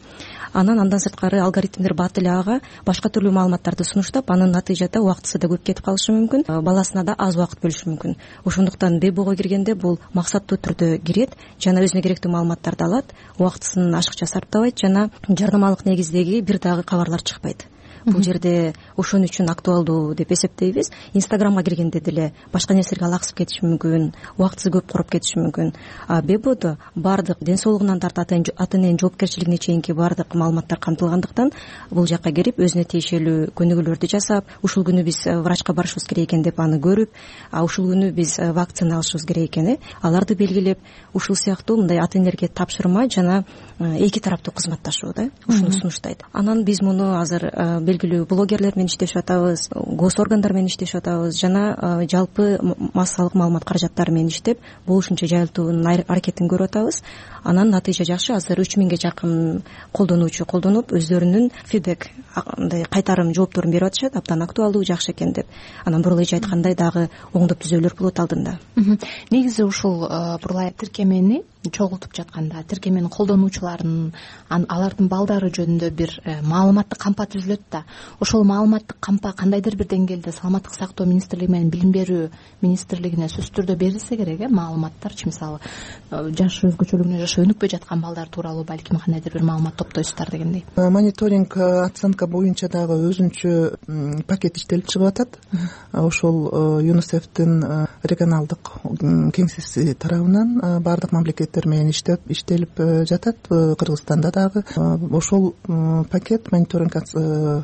Анан андан сырткары алгоритмдер бат эле ага башка түрлүү маалыматтарды сунуштап, анын натыйжада убактысы да көп кетип калышы мүмкүн, баласына да аз убакыт бөлүшү мүмкүн. Ошондуктан Дебого киргенде бул максаттуу түрдө кирет, жана өзүнө керектүү маалыматтарды алат, убактысын ашыкча сарптабайт, жана жарнамалык негиздеги бир дагы кабарлар чыкпайт. Бул жерде ошон үчүн актуалдуу деп эсептейбиз. Инстаграмга киргенде деле башка нерселерге алаксып кетиши мүмкүн, убактысы көп короп кетиши мүмкүн. А Бебодо бардык ден соолугунан тартып ата эненин жоопкерчилигине чейинки бардык маалыматтар камтылгандыктан бул жакка кирип өзүнө тиешелүү көнүгүүлөрдү жасап, ушул күнү биз врачка барышыбыз керек экен деп аны көрүп, а ушул күнү биз вакцина алышыбыз керек экен, аларды белгилеп, ушул сыяктуу мындай ата энелерге тапшырма жана эки тараптуу кызматташуу да, ушуну сунуштайт. Анан биз муну азыр белгилүү блогерлер менен иштешип атабыз, госоргандар менен иштешип атабыз, жана жалпы массалык маалымат каражаттары менен иштеп, бул ушунча жайылтуунун аракетин көрүп атабыз. Анан натыйжа жакшы. Азыр үч миңге жакын колдонуучу колдонуп, өздөрүнүн фидбек, мындай кайтарым жоопторун берип атышат, абдан актуалдуу, жакшы экен деп. Анан бурулай айткандай дагы оңдоп түзөөлөр болот алдында. Негизи ушул бурулай тиркемени чогултуп жатканда, тиркеменин колдонуучуларын, алардын балдары жөнүндө бир маалыматтык кампа түзүлөт да. Ошол маалыматтык кампа кандайдыр бир деңгээлде саламаттык сактоо министрлиги менен билим берүү министрлигине сөзсүз түрдө берилсе керек, э, маалыматтарчы, мисалы жаш өзгөчөлүгүнө жаша өнүкпөй жаткан балдар тууралуу балким кандайдыр бир маалымат топтойсуздар дегендей. Мониторинг, оценка боюнча дагы өзүнчө пакет иштелип чыгып атат. Ошол ЮНИСЕФтин регионалдык кеңсеси тарабынан бардык мамлекеттер менен иштеп иштелип жатат. Кыргызстанда дагы ошол пакет мониторинг,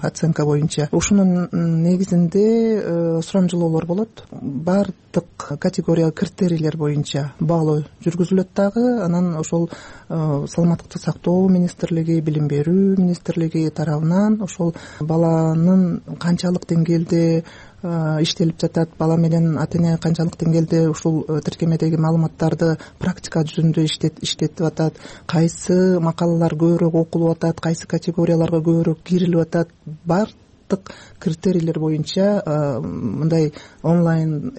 оценка боюнча ушунун негизинде сурамжылоолор болот. Бардык категория критерийлер боюнча баалоо жүргүзүлөт дагы. Анан ошол саламаттыкты сактоо министрлиги, билим берүү министрлиги тарабынан ошол баланын канчалык деңгээлде иштелип жатат, бала менен ата эне канчалык деңгээлде ушул тиркемедеги маалыматтарды практика жүзүндө иштетип атат, кайсы макалалар көбүрөөк окулуп атат, кайсы категорияларга көбүрөөк кирилип атат, бардык критерийлер боюнча мындай онлайн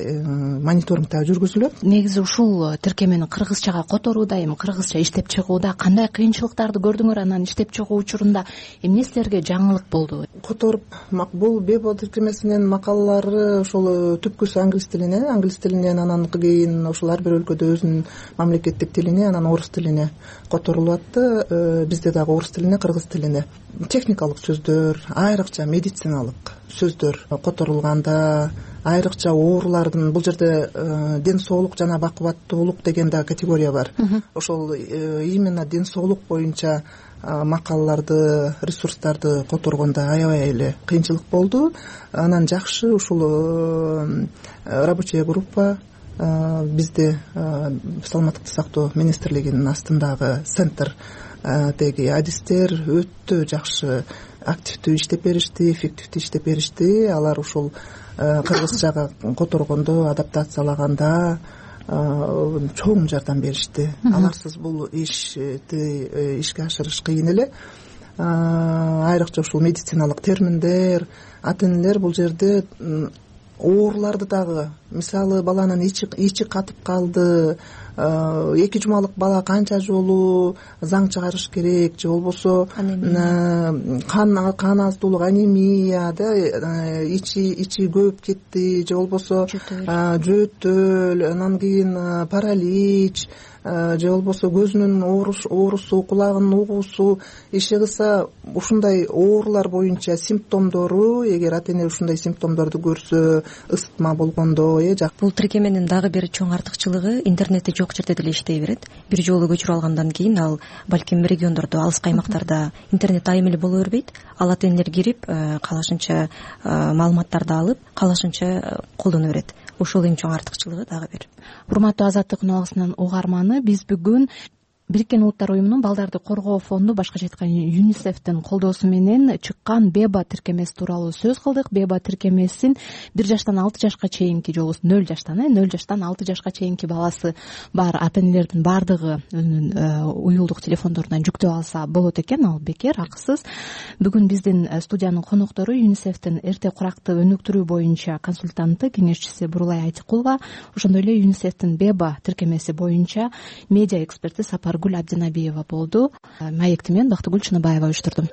мониторингтер жүргүзүлөт. Негизи ушул тиркемени кыргызчага которууда, эми кыргызча иштеп чыгууда кандай кыйынчылыктарды көрдүңөр? Анан иштеп чыгуу учурунда эмне силерге жаңылык болду? Которуп бул Бебо тиркемесинин макалалары ошол түпкүсү англис тилине, англис тилинен анан кийин ошол ар бир өлкөдө өзүнүн мамлекеттик тилине, анан орус тилине которулуп атты. Бизде дагы орус тилине, кыргыз тилине. Техникалык сөздөр, айрыкча медициналык сөздөр которулганда, айрыкча оорулардын, бул жерде ден соолук жана бакубаттуулук деген да категория бар. Ошол именно ден соолук боюнча макалаларды, ресурстарды которгондо аябай эле кыйынчылык болду. Анан жакшы ушул рабочая группа бизде саламаттыкты сактоо министрлигинин астындагы центр деги адистер өтө жакшы активдүү иштеп беришти, эффективдүү иштеп беришти. Алар ушул кыргызчага которгондо, адаптациялаганда чоң жардам беришти. Аларсыз бул ишти ишке ашырыш кыйын эле. Айрыкча ушул медициналык терминдер, ата энелер бул жерде ооруларды дагы мисалы баланын ичи катып калды, эки жумалык бала канча жолу заң чыгарыш керек, же болбосо кан кан аздуулук, анемия, да, ичи ичи көбүп кетти, же болбосо жөтөл, анан кийин паралич, же болбосо көзүнүн оорусу, кулагынын угуусу, иши кылса ушундай оорулар боюнча симптомдору, эгер ата эне ушундай симптомдорду көрсө, ысытма болгондо, э жак. Бул тиркеменин дагы бир чоң артыкчылыгы интернетти жок жерде деле иштей берет. Бир жолу көчүрүп алгандан кийин ал балким региондордо, алыскы аймактарда интернет айым эле боло бербейт. Ал ата энелер кирип, каалашынча маалыматтарды алып, каалашынча колдоно берет. Ушул эң чоң артыкчылыгы дагы бир. Урматтуу Азаттык үн угарманы, биз бүгүн Бириккен Улуттар уюмунун балдарды коргоо фонду, башкача айтканда ЮНИСЕФтин колдоосу менен чыккан Беба тиркемеси тууралуу сөз кылдык. Беба тиркемесин бир жаштан алты жашка чейинки, же болбосо нөл жаштан э нөл жаштан алты жашка чейинки баласы бар ата энелердин баардыгы өзүнүн уюлдук телефондорунан жүктөп алса болот экен. Ал бекер, акысыз. Бүгүн биздин студиянын коноктору ЮНИСЕФтин эрте куракты өнүктүрүү боюнча консультанты, кеңешчиси Бурулай Айтыкулова, ошондой эле ЮНИСЕФтин Беба тиркемеси боюнча медиа эксперти Сапар Гүл Абдинабиева болду. Маекти мен Бактыгүл Чыныбаева уюштурдум.